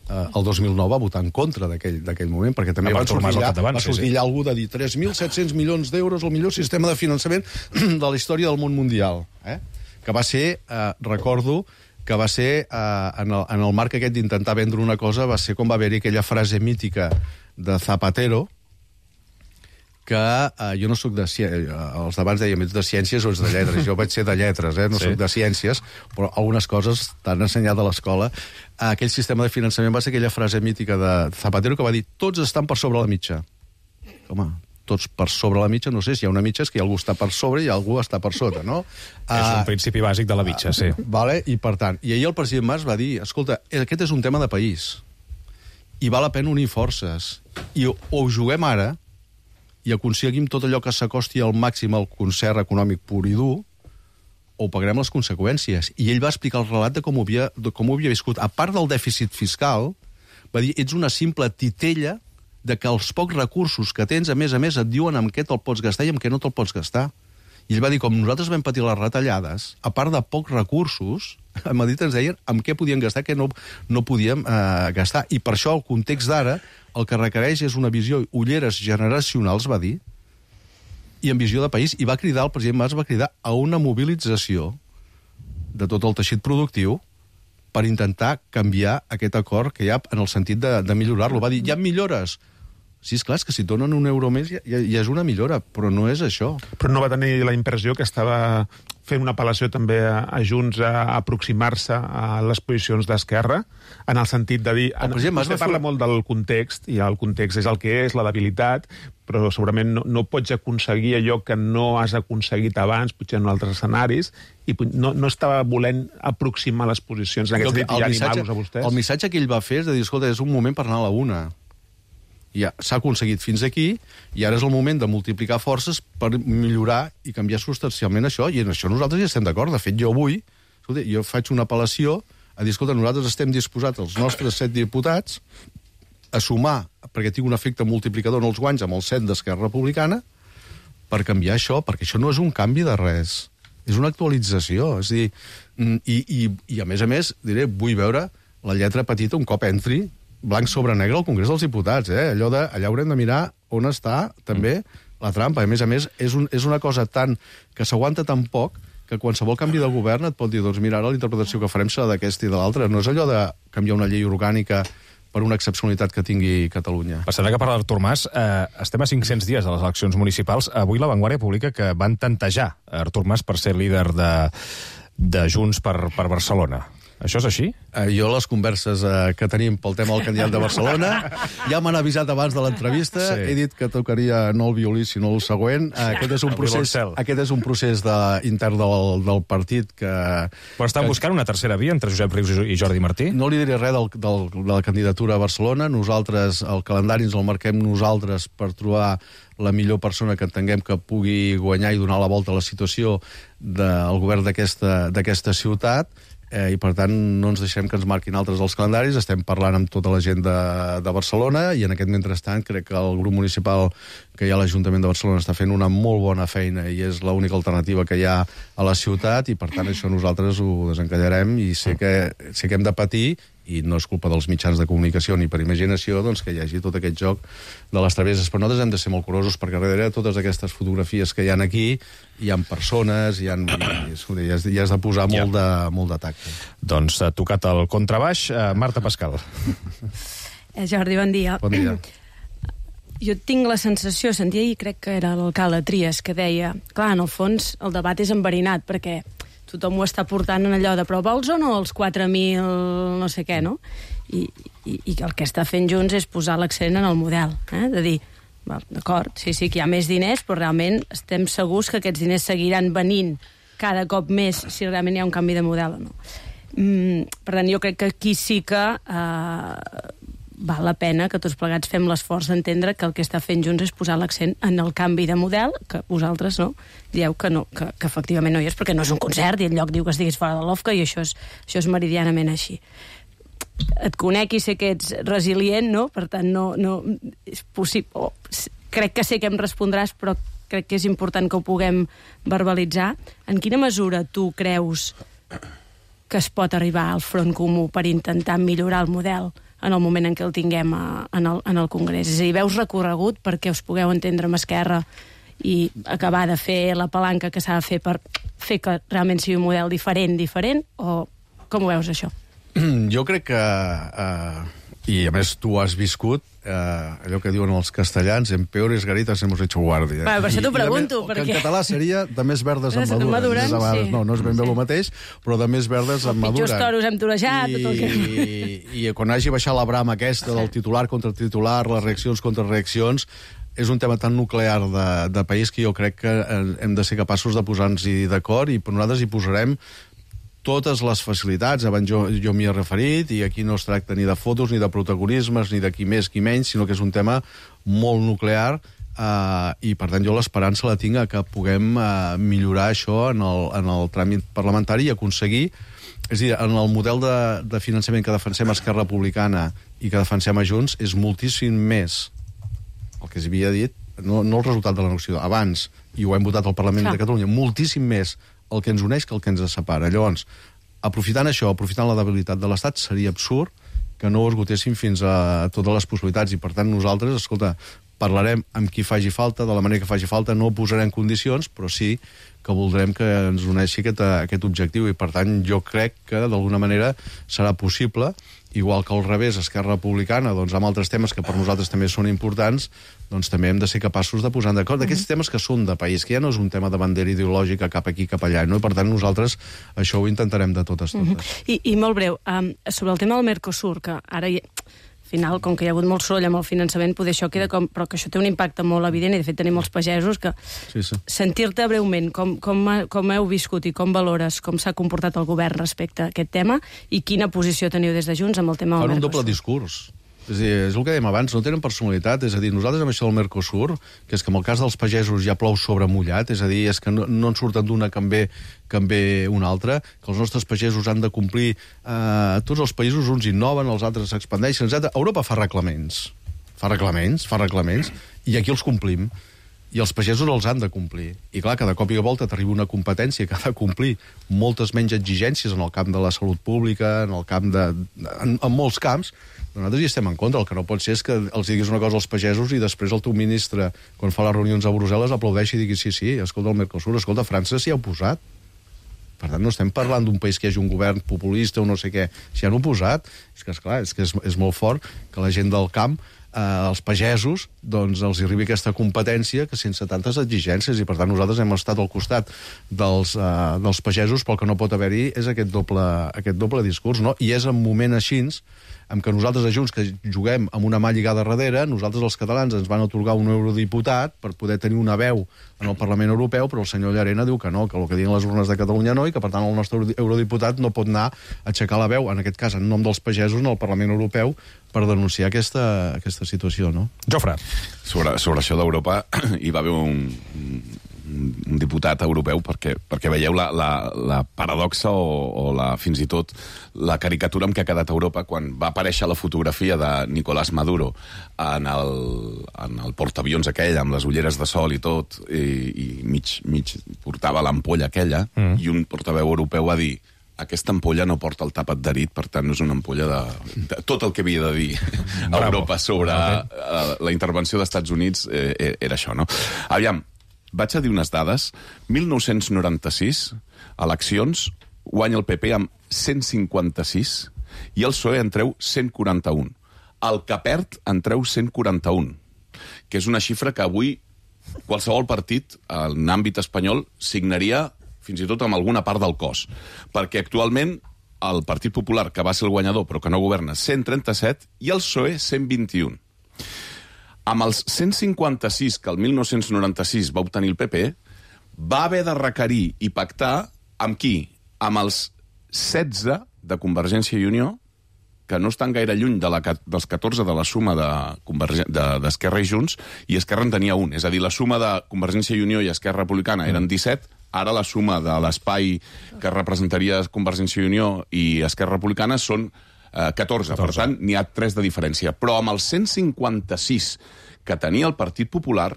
el 2009 va votar en contra d'aquell moment, perquè també va sortir allà algú de dir 3.700 milions d'euros, el millor sistema de finançament de la història del món mundial, que va ser, recordo, que va ser, en el marc aquest d'intentar vendre una cosa, va ser com va haver-hi aquella frase mítica de Zapatero, que jo no soc de ciències, els d'abans dèiem, ets de ciències o ets de lletres, jo vaig ser de lletres, no soc de ciències, però algunes coses t'han ensenyat a l'escola. Aquell sistema de finançament va ser aquella frase mítica de Zapatero que va dir, tots estan per sobre la mitja. Home, tots per sobre la mitja, no sé, si hi ha una mitja és que algú està per sobre i algú està per sota, no? És un principi bàsic de la mitja, sí. I per tant, i ahir el president Mas va dir, escolta, aquest és un tema de país i val la pena unir forces i o ho juguem ara i aconseguim tot allò que s'acosti al màxim al concert econòmic pur i dur, o pagarem les conseqüències. I ell va explicar el relat de com ho havia viscut. A part del dèficit fiscal, va dir, ets una simple titella de que els pocs recursos que tens, a més, et diuen amb què te'l pots gastar i amb què no te'l pots gastar. I ell va dir, com nosaltres vam patir les retallades, a part de pocs recursos, a Madrid ens deien amb què podíem gastar, què no podíem gastar. I per això el context d'ara el que requereix és una visió, ulleres generacionals, va dir, i en visió de país. I va cridar, el president Mas va cridar a una mobilització de tot el teixit productiu per intentar canviar aquest acord que hi ha en el sentit de millorar-lo. Va dir, hi ha millores. Sí, és clar, és que si et donen €1 més ja és una millora, però no és això. Però no va tenir la impressió que estava fent una apel·lació també a Junts a aproximar-se a les posicions d'Esquerra, en el sentit de dir... Vostè parla molt del context, i el context és el que és, la debilitat, però segurament no pots aconseguir allò que no has aconseguit abans, potser en altres escenaris, i no estava volent aproximar les posicions en aquest sentit i animar-los a vostès. El missatge que ell va fer és de dir, escolta, és un moment per anar a la una. Ja s'ha aconseguit fins aquí, i ara és el moment de multiplicar forces per millorar i canviar substancialment això, i en això nosaltres hi estem d'acord. De fet, jo avui, escolta, jo faig una apel·lació a dir, escolta, nosaltres estem disposats, els nostres 7 diputats, a sumar, perquè tinc un efecte multiplicador en els guanys amb els 7 d'Esquerra Republicana, per canviar això, perquè això no és un canvi de res, és una actualització. És a dir, i a més, diré, vull veure la lletra petita un cop entri blanc sobre negre al Congrés dels Diputats, allà haurem de mirar on està també la trampa. A més, és una cosa que s'aguanta tan poc que qualsevol canvi de govern et pot dir, doncs mira, ara la interpretació que farem serà d'aquesta i de l'altra. No és allò de canviar una llei orgànica per una excepcionalitat que tingui Catalunya. Passarà que parla d'Artur Mas. Estem a 500 dies de les eleccions municipals. Avui La Vanguardia publica que van tantejar Artur Mas per ser líder de Junts per Barcelona. Això és així? Jo, les converses que tenim pel tema del candidat de Barcelona, ja m'han avisat abans de l'entrevista, he dit que tocaria no el violí, sinó el següent. Aquest és un procés intern del partit que... Però estan buscant una tercera via entre Josep Rius i Jordi Martí? No li diré res de la candidatura a Barcelona. Nosaltres, el calendari ens el marquem nosaltres per trobar la millor persona que entenguem que pugui guanyar i donar la volta a la situació del govern d'aquesta ciutat, i per tant no ens deixem que ens marquin altres els calendaris. Estem parlant amb tota la gent de Barcelona i en aquest mentrestant crec que el grup municipal que hi ha a l'Ajuntament de Barcelona està fent una molt bona feina i és l'única alternativa que hi ha a la ciutat i per tant això nosaltres ho desencallarem i sé que hem de patir i no és culpa dels mitjans de comunicació ni per imaginació doncs, que hi hagi tot aquest joc de les travesses. Però nosaltres hem de ser molt curosos perquè darrere de totes aquestes fotografies que hi ha aquí hi ha persones, hi has de posar molt de tacte. Doncs ha tocat el contrabaix. Marta Pascal. Jordi, bon dia. Bon dia. Jo tinc la sensació, sentia ahir, crec que era l'alcalde Trias, que deia, clar, en el fons el debat és enverinat perquè tothom ho està portant en allò de però vols o no els 4.000 no sé què, no? I el que està fent Junts és posar l'accent en el model, de dir, d'acord, sí, que hi ha més diners, però realment estem segurs que aquests diners seguiran venint cada cop més si realment hi ha un canvi de model o no. Per tant, jo crec que aquí sí que val la pena que tots plegats fem l'esforç d'entendre que el que està fent Junts és posar l'accent en el canvi de model, que vosaltres no, dieu que no, que efectivament no hi és, perquè no és un concert i el lloc diu que estiguis fora de l'OFCA i això és meridianament així. Et conec i sé que ets resilient, no? Per tant, no és possible. Crec que sé que em respondràs, però crec que és important que ho puguem verbalitzar. En quina mesura tu creus que es pot arribar al front comú per intentar millorar el model en el moment en què el tinguem en el Congrés? És a dir, veus recorregut perquè us pugueu entendre amb Esquerra i acabar de fer la palanca que s'ha de fer per fer que realment sigui un model diferent, o com ho veus, això? Jo crec que, i a més tu has viscut, allò que diuen els castellans, en peores garitas hemos hecho guardia. Per això t'ho pregunto. Que en català seria de més verdes en maduren. Sí. No és ben bé el mateix, però de més verdes en maduren. Pitjors toros hem torejat. I quan hagi baixat la brama aquesta del titular contra titular, les reaccions contra reaccions, és un tema tan nuclear de país que jo crec que hem de ser capaços de posar-nos-hi d'acord i nosaltres hi posarem totes les facilitats. Abans jo m'hi he referit i aquí no es tracta ni de fotos, ni de protagonismes, ni de qui més, qui menys, sinó que és un tema molt nuclear i per tant jo l'esperança la tinc que puguem millorar això en el tràmit parlamentari i aconseguir, és a dir, en el model de finançament que defensem a Esquerra Republicana i que defensem a Junts és moltíssim més el que s'havia dit, no el resultat de la negociació, abans, i ho hem votat al Parlament de Catalunya, moltíssim més el que ens uneix que el que ens separa. Llavors, aprofitant això, aprofitant la debilitat de l'Estat, seria absurd que no ho esgotéssim fins a totes les possibilitats i, per tant, nosaltres, escolta, parlarem amb qui faci falta, de la manera que faci falta, no posarem condicions, però sí que voldrem que ens uneixi aquest objectiu i, per tant, jo crec que d'alguna manera serà possible, igual que al revés, Esquerra Republicana, doncs, amb altres temes que per nosaltres també són importants, doncs també hem de ser capaços de posar d'acord d'aquests temes que són de país, que ja no és un tema de bandera ideològica cap aquí, cap allà, no? I per tant nosaltres això ho intentarem de totes. I molt breu, sobre el tema del Mercosur, que ara al final, com que hi ha hagut molt soroll amb el finançament, poder això queda com... Però que això té un impacte molt evident, i de fet tenim molts pagesos que... Sí. Sentir-te breument com heu viscut i com valores, com s'ha comportat el govern respecte a aquest tema i quina posició teniu des de Junts amb el tema del Mercosur. Fan un doble discurs. És a dir, és el que dèiem abans, no tenen personalitat. És a dir, nosaltres amb això del Mercosur, que és que en el cas dels pagesos ja plou sobre mullat, és a dir, és que no en surten d'una que en ve una altra, que els nostres pagesos han de complir, tots els països, uns innoven, els altres s'expandeixen, etc. Europa fa reglaments, i aquí els complim. I els pagesos els han de complir. I clar, cada cop i volta t'arriba una competència que ha de complir moltes menys exigències en el camp de la salut pública, en el camp en molts camps. Nosaltres hi estem en contra. El que no pot ser és que els diguis una cosa als pagesos i després el teu ministre, quan fa les reunions a Brussel·les, aplaudeixi i digui sí, escolta el Mercosur, escolta, França s'hi ha oposat. Per tant, no estem parlant d'un país que hi hagi un govern populista o no sé què. S'hi han oposat. És que, esclar, és molt fort que la gent del camp als pagesos doncs els arribi aquesta competència que sense tantes exigències, i per tant nosaltres hem estat al costat dels pagesos, però el que no pot haver-hi és aquest doble discurs, no? I és en moment així en què nosaltres a Junts, que juguem amb una mà lligada darrere, nosaltres els catalans ens van atorgar un eurodiputat per poder tenir una veu en el Parlament Europeu, però el senyor Llarena diu que no, que el que diuen les urnes de Catalunya no, i que per tant el nostre eurodiputat no pot anar a aixecar la veu, en aquest cas en nom dels pagesos, en el Parlament Europeu, per denunciar aquesta situació, no? Jofre. Sobre això d'Europa hi va haver un diputat europeu perquè veieu la paradoxa o fins i tot la caricatura amb què ha quedat Europa quan va aparèixer la fotografia de Nicolás Maduro en el portaavions aquell, amb les ulleres de sol i tot, i mig portava l'ampolla aquella, i un portaveu europeu va dir: aquesta ampolla no porta el tap adherit, per tant no és una ampolla de tot el que havia de dir a Europa sobre la intervenció dels Estats Units era això, no? Aviam, vaig a dir unes dades. 1996, eleccions, guanya el PP amb 156 i el PSOE en treu 141. El que perd en treu 141, que és una xifra que avui qualsevol partit en àmbit espanyol signaria fins i tot amb alguna part del cos. Perquè actualment el Partit Popular, que va ser el guanyador però que no governa, 137, i el PSOE 121. Amb els 156 que el 1996 va obtenir el PP, va haver de requerir i pactar amb qui? Amb els 16 de Convergència i Unió, que no estan gaire lluny dels 14 de la suma d'Esquerra i Junts, i Esquerra en tenia un. És a dir, la suma de Convergència i Unió i Esquerra Republicana eren 17, ara la suma de l'espai que representaria Convergència i Unió i Esquerra Republicana són 14. Per tant, n'hi ha 3 de diferència. Però amb els 156 que tenia el Partit Popular,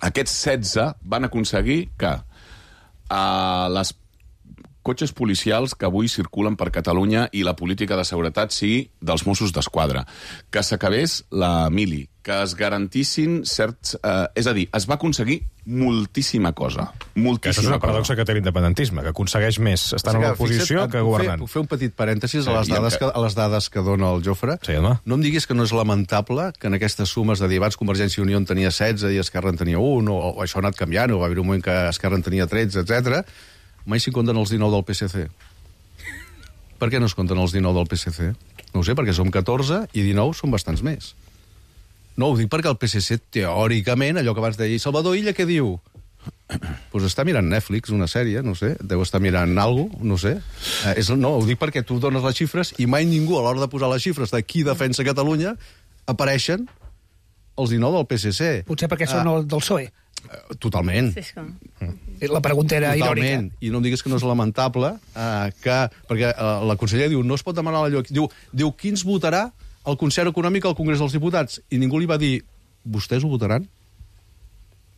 aquests 16 van aconseguir que les cotxes policials que avui circulen per Catalunya i la política de seguretat sigui dels Mossos d'Esquadra, que s'acabés la mili, que es garantissin certs... és a dir, es va aconseguir moltíssima cosa. Això és una paradoxa que té l'independentisme, que aconsegueix més estant a l'oposició que governant. Puc fer un petit parèntesis a les dades que dona el Jofre? Sí, home. No em diguis que no és lamentable que en aquestes sumes de dir abans Convergència i Unió en tenia 16 i Esquerra en tenia 1, o això ha anat canviant, o va haver un moment que Esquerra en tenia 13, etc. Mai s'hi compten els 19 del PSC. Per què no es compten els 19 del PSC? No ho sé, perquè som 14 i 19 són bastants més. No, ho dic perquè el PSC, teòricament, allò que abans deia, Salvador Illa, què diu? Doncs està mirant Netflix, una sèrie, no sé, deu estar mirant alguna cosa, no sé. No, ho dic perquè tu dones les xifres i mai ningú, a l'hora de posar les xifres de qui defensa Catalunya, apareixen els 19 del PSC. Potser perquè són del PSOE. Totalment. La pregunta era irònica. I no em diguis que no és lamentable perquè la consellera diu no es pot demanar allò. Diu qui ens votarà el concert econòmic al Congrés dels Diputats? I ningú li va dir vostès ho votaran?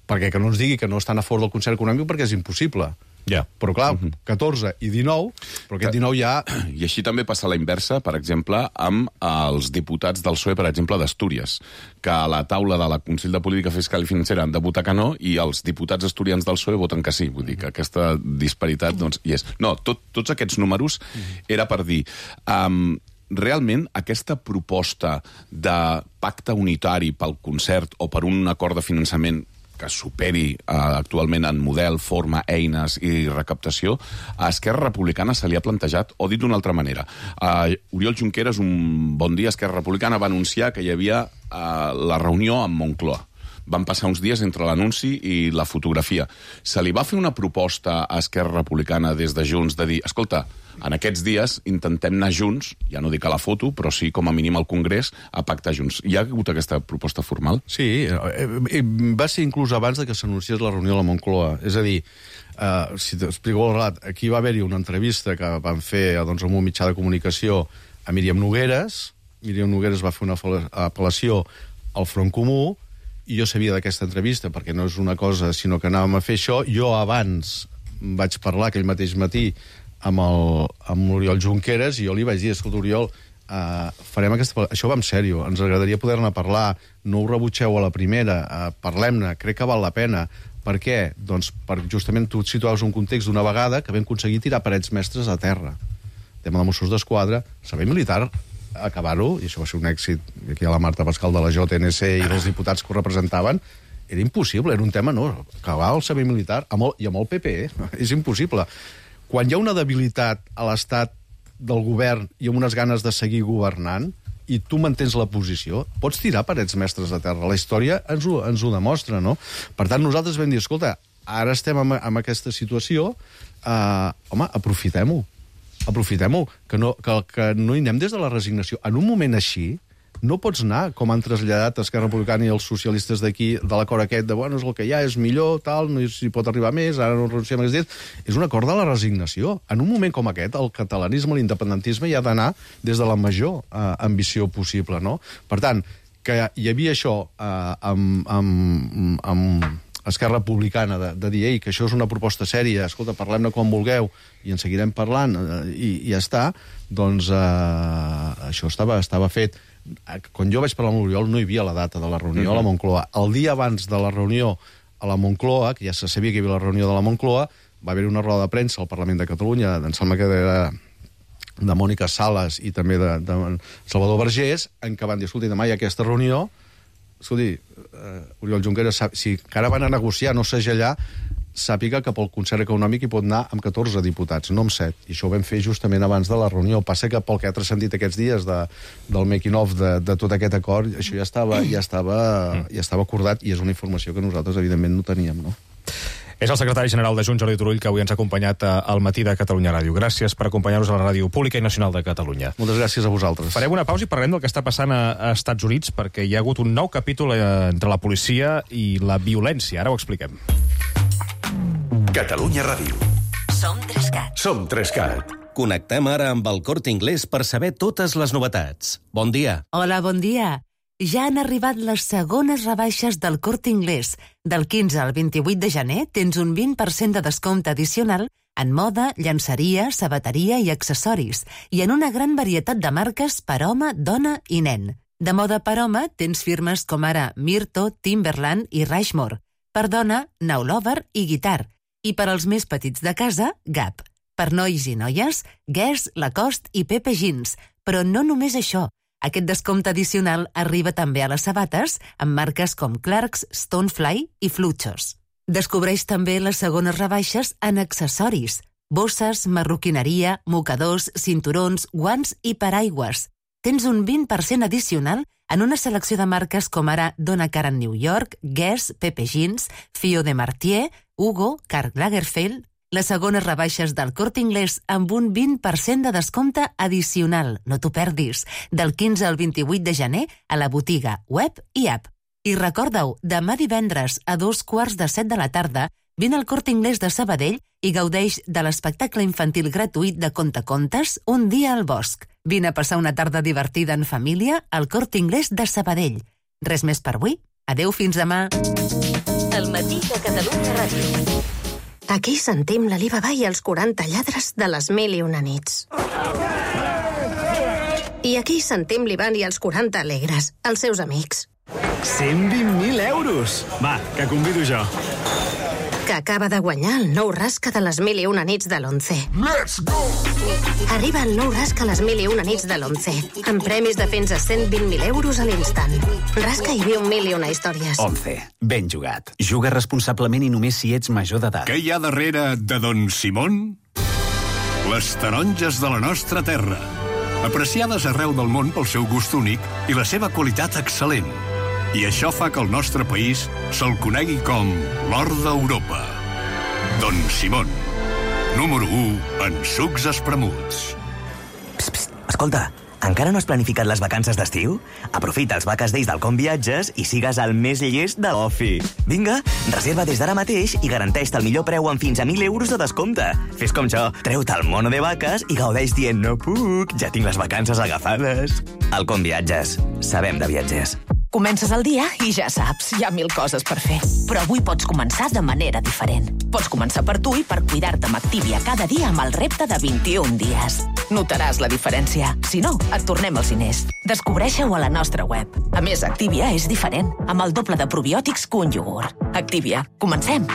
Perquè que no ens digui que no estan a favor del concert econòmic perquè és impossible. Ja. Però clar, 14 i 19, però aquest 19 ja... I així també passa la inversa, per exemple, amb els diputats del PSOE, per exemple, d'Astúries, que a la taula de la Consell de Política Fiscal i Financera han de votar que no, i els diputats asturians del PSOE voten que sí. Vull dir que aquesta disparitat, doncs, hi és. No, tots aquests números era per dir... realment aquesta proposta de pacte unitari pel concert o per un acord de finançament que superi actualment en model, forma, eines i recaptació, a Esquerra Republicana se li ha plantejat, o dit d'una altra manera. Oriol Junqueras, un bon dia, Esquerra Republicana va anunciar que hi havia la reunió amb Moncloa. Van passar uns dies entre l'anunci i la fotografia. Se li va fer una proposta a Esquerra Republicana des de Junts de dir, escolta, en aquests dies intentem anar junts, ja no dic a la foto, però sí com a mínim al Congrés, a pactar junts. Hi ha hagut aquesta proposta formal? Sí, va ser inclús abans de que s'anunciés la reunió a la Moncloa. És a dir, si t'explico el relat, aquí va haver-hi una entrevista que van fer amb un mitjà de comunicació a Míriam Nogueres. Míriam Nogueres va fer una apel·lació al Front Comú, i jo sabia d'aquesta entrevista, perquè no és una cosa, sinó que anàvem a fer això. Jo abans vaig parlar aquell mateix matí amb l'Oriol Junqueras, i jo li vaig dir, escolta, Oriol, farem aquesta... Això va en sèrio, ens agradaria poder-ne parlar, no ho rebutgeu a la primera, parlem-ne, crec que val la pena. Per què? Doncs justament tu et situaves un context d'una vegada que vam aconseguir tirar parets mestres a terra. Tema de Mossos d'Esquadra, servei militar acabar-ho, i això va ser un èxit, aquí hi ha la Marta Pascal de la JNC i els diputats que ho representaven, era impossible, era un tema, no, acabar el servei militar i amb el PP, és impossible. Quan hi ha una debilitat a l'estat del govern i amb unes ganes de seguir governant, i tu mantens la posició, pots tirar parets mestres de terra. La història ens ho demostra, no? Per tant, nosaltres vam dir, escolta, ara estem en aquesta situació, home, aprofitem-ho, que no hi anem des de la resignació. En un moment així, no pots anar, com han traslladat Esquerra Republicana i els socialistes d'aquí, de l'acord aquest de, bueno, és el que hi ha, és millor, tal, no s'hi pot arribar més, ara no renunciem a aquests dies. És un acord de la resignació. En un moment com aquest, el catalanisme, l'independentisme, hi ha d'anar des de la major ambició possible, no? Per tant, que hi havia això amb Esquerra Republicana de dir, ei, que això és una proposta sèria, escolta, parlem-ne quan vulgueu i en seguirem parlant i ja està, doncs això estava fet. Quan jo vaig parlar amb l'Oriol no hi havia la data de la reunió a la Moncloa. El dia abans de la reunió a la Moncloa, que ja se sabia que hi havia la reunió de la Moncloa, va haver una roda de premsa al Parlament de Catalunya, em sembla que era de Mònica Sales i també de Salvador Vergés, en què van dir, escolti, demà hi ha aquesta reunió, escolti, Oriol Junqueras, si encara van a negociar, no segellar, sàpiga que pel concert econòmic hi pot anar amb 14 diputats, no amb 7. I això ho vam fer justament abans de la reunió. Passa que pel que ha transcendit aquests dies del making-of de tot aquest acord, això ja estava acordat i és una informació que nosaltres, evidentment, no teníem, no? És el secretari general de Junts, Jordi Turull, que avui ens ha acompanyat al matí de Catalunya Ràdio. Gràcies per acompanyar-nos a la Ràdio Pública i Nacional de Catalunya. Moltes gràcies a vosaltres. Farem una pausa i parlem del que està passant a Estats Units, perquè hi ha hagut un nou capítol entre la policia i la violència. Ara ho expliquem. Catalunya Ràdio. Som 3CAT. Som 3CAT. Connectem ara amb el Corte Inglés per saber totes les novetats. Bon dia. Hola, bon dia. Ja han arribat les segones rebaixes del Corte Inglés. Del 15 al 28 de gener tens un 20% de descompte addicional en moda, llançeria, sabateria i accessoris, i en una gran varietat de marques per home, dona i nen. De moda per home tens firmes com ara Myrto, Timberland i Rushmore. Per dona, Now Lover i Guitar. I per als més petits de casa, Gap. Per nois i noies, Guess, Lacoste i Pepe Jeans. Però no només això. Aquest descompte addicional arriba també a les sabates, amb marques com Clarks, Stonefly i Fluchos. Descobreix també les segones rebaixes en accessoris. Bosses, marroquineria, mocadors, cinturons, guants i paraigües. Tens un 20% addicional en una selecció de marques com ara Donna Karan New York, Guess, Pepe Jeans, Fio de Martier, Hugo, Karl Lagerfeld. Les segones rebaixes del Corte Inglés amb un 20% de descompte addicional. No t'ho perdis. Del 15 al 28 de gener a la botiga web i app. I recorda-ho, demà divendres a 2:15 de la tarda vine al Corte Inglés de Sabadell i gaudeix de l'espectacle infantil gratuït de Contacontes Un dia al bosc. Vine a passar una tarda divertida en família al Corte Inglés de Sabadell. Res més per avui. Adeu, fins demà. El matí de Catalunya Ràdio. Aquí sentim l'Alibaba i els 40 lladres de les 1001 nits. I aquí sentim l'Ivan i els 40 alegres, els seus amics. 120.000 euros! Va, que convido jo. Que acaba de guanyar el nou rasca de les 1001 nits de l'11. Let's go! Arriba el nou rasca a les 1001 nits de l'11, amb premis de fins a 120.000 euros a l'instant. Rasca i viu 1001 històries. 11. Ben jugat. Juga responsablement i només si ets major d'edat. Què hi ha darrere de Don Simón? Les taronges de la nostra terra. Apreciades arreu del món pel seu gust únic i la seva qualitat excel·lent. I això fa que el nostre país se'l conegui com l'or d'Europa. Don Simón, número 1 en sucs espremuts. Psst, escolta, encara no has planificat les vacances d'estiu? Aprofita els vaques days del Com Viatges i sigues el més llest de l'ofi. Vinga, reserva des d'ara mateix i garanteix-te el millor preu amb fins a 1.000 euros de descompte. Fes com jo, treu-te el mono de vaques i gaudeix dient no puc, ja tinc les vacances agafades. El Com Viatges. Sabem de viatgers. Comences el dia i ja saps, hi ha 1000 coses per fer. Però avui pots començar de manera diferent. Pots començar per tu i per cuidar-te amb Activia cada dia amb el repte de 21 dies. Notaràs la diferència. Si no, et tornem els diners. Descobreixeu a la nostra web. A més, Activia és diferent, amb el doble de probiòtics que un iogurt. Activia. Comencem.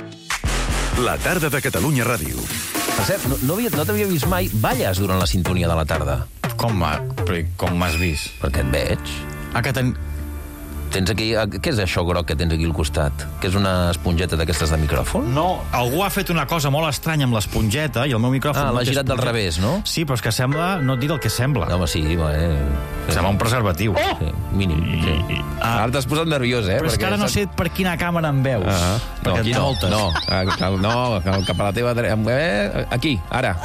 La tarda de Catalunya Ràdio. Per cert, no t'havia vist mai balles durant la sintonia de la tarda. Com m'has vist? Perquè et veig. Tens aquí... Què és això groc que tens aquí al costat? Que és una esponjeta d'aquestes de micròfon? No, algú ha fet una cosa molt estranya amb l'esponjeta i el meu micròfon... L'ha girat del revés, no? Sí, però és que sembla... No et diré el que sembla. Home, sí. Sembla un preservatiu. Sí, mínim. Sí. Ara t'has posat nerviós, Però és que ara no sé per quina càmera em veus. No, aquí no. Cap a la teva... Aquí, ara.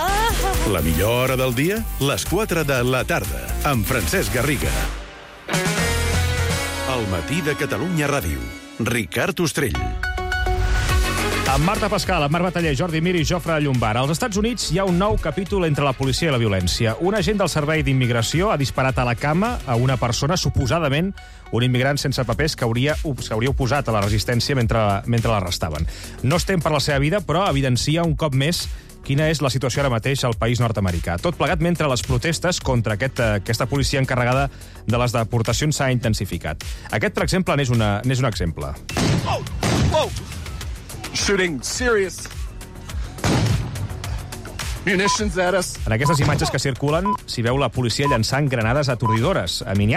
La millor hora del dia? Les 4 de la tarda, amb Francesc Garriga. El matí de Catalunya Ràdio. Ricard Ostrell. Amb Marta Pascal, amb Marc Bataller, Jordi Mir i Jofre Llombard. Als Estats Units hi ha un nou capítol entre la policia i la violència. Un agent del Servei d'Immigració ha disparat a la cama a una persona, suposadament un immigrant sense papers que s'hauria oposat a la resistència mentre l'arrestaven. No es tem per la seva vida, però evidencia un cop més quina és la situació ara mateix al país nord-americà. Tot plegat mentre les protestes contra aquesta policia encarregada de les deportacions s'ha intensificat. Aquest, per exemple, n'és un exemple. Shooting serious munitions at us. En aquestes imatges que circulen s'hi veu la policia llançant granades atordidores a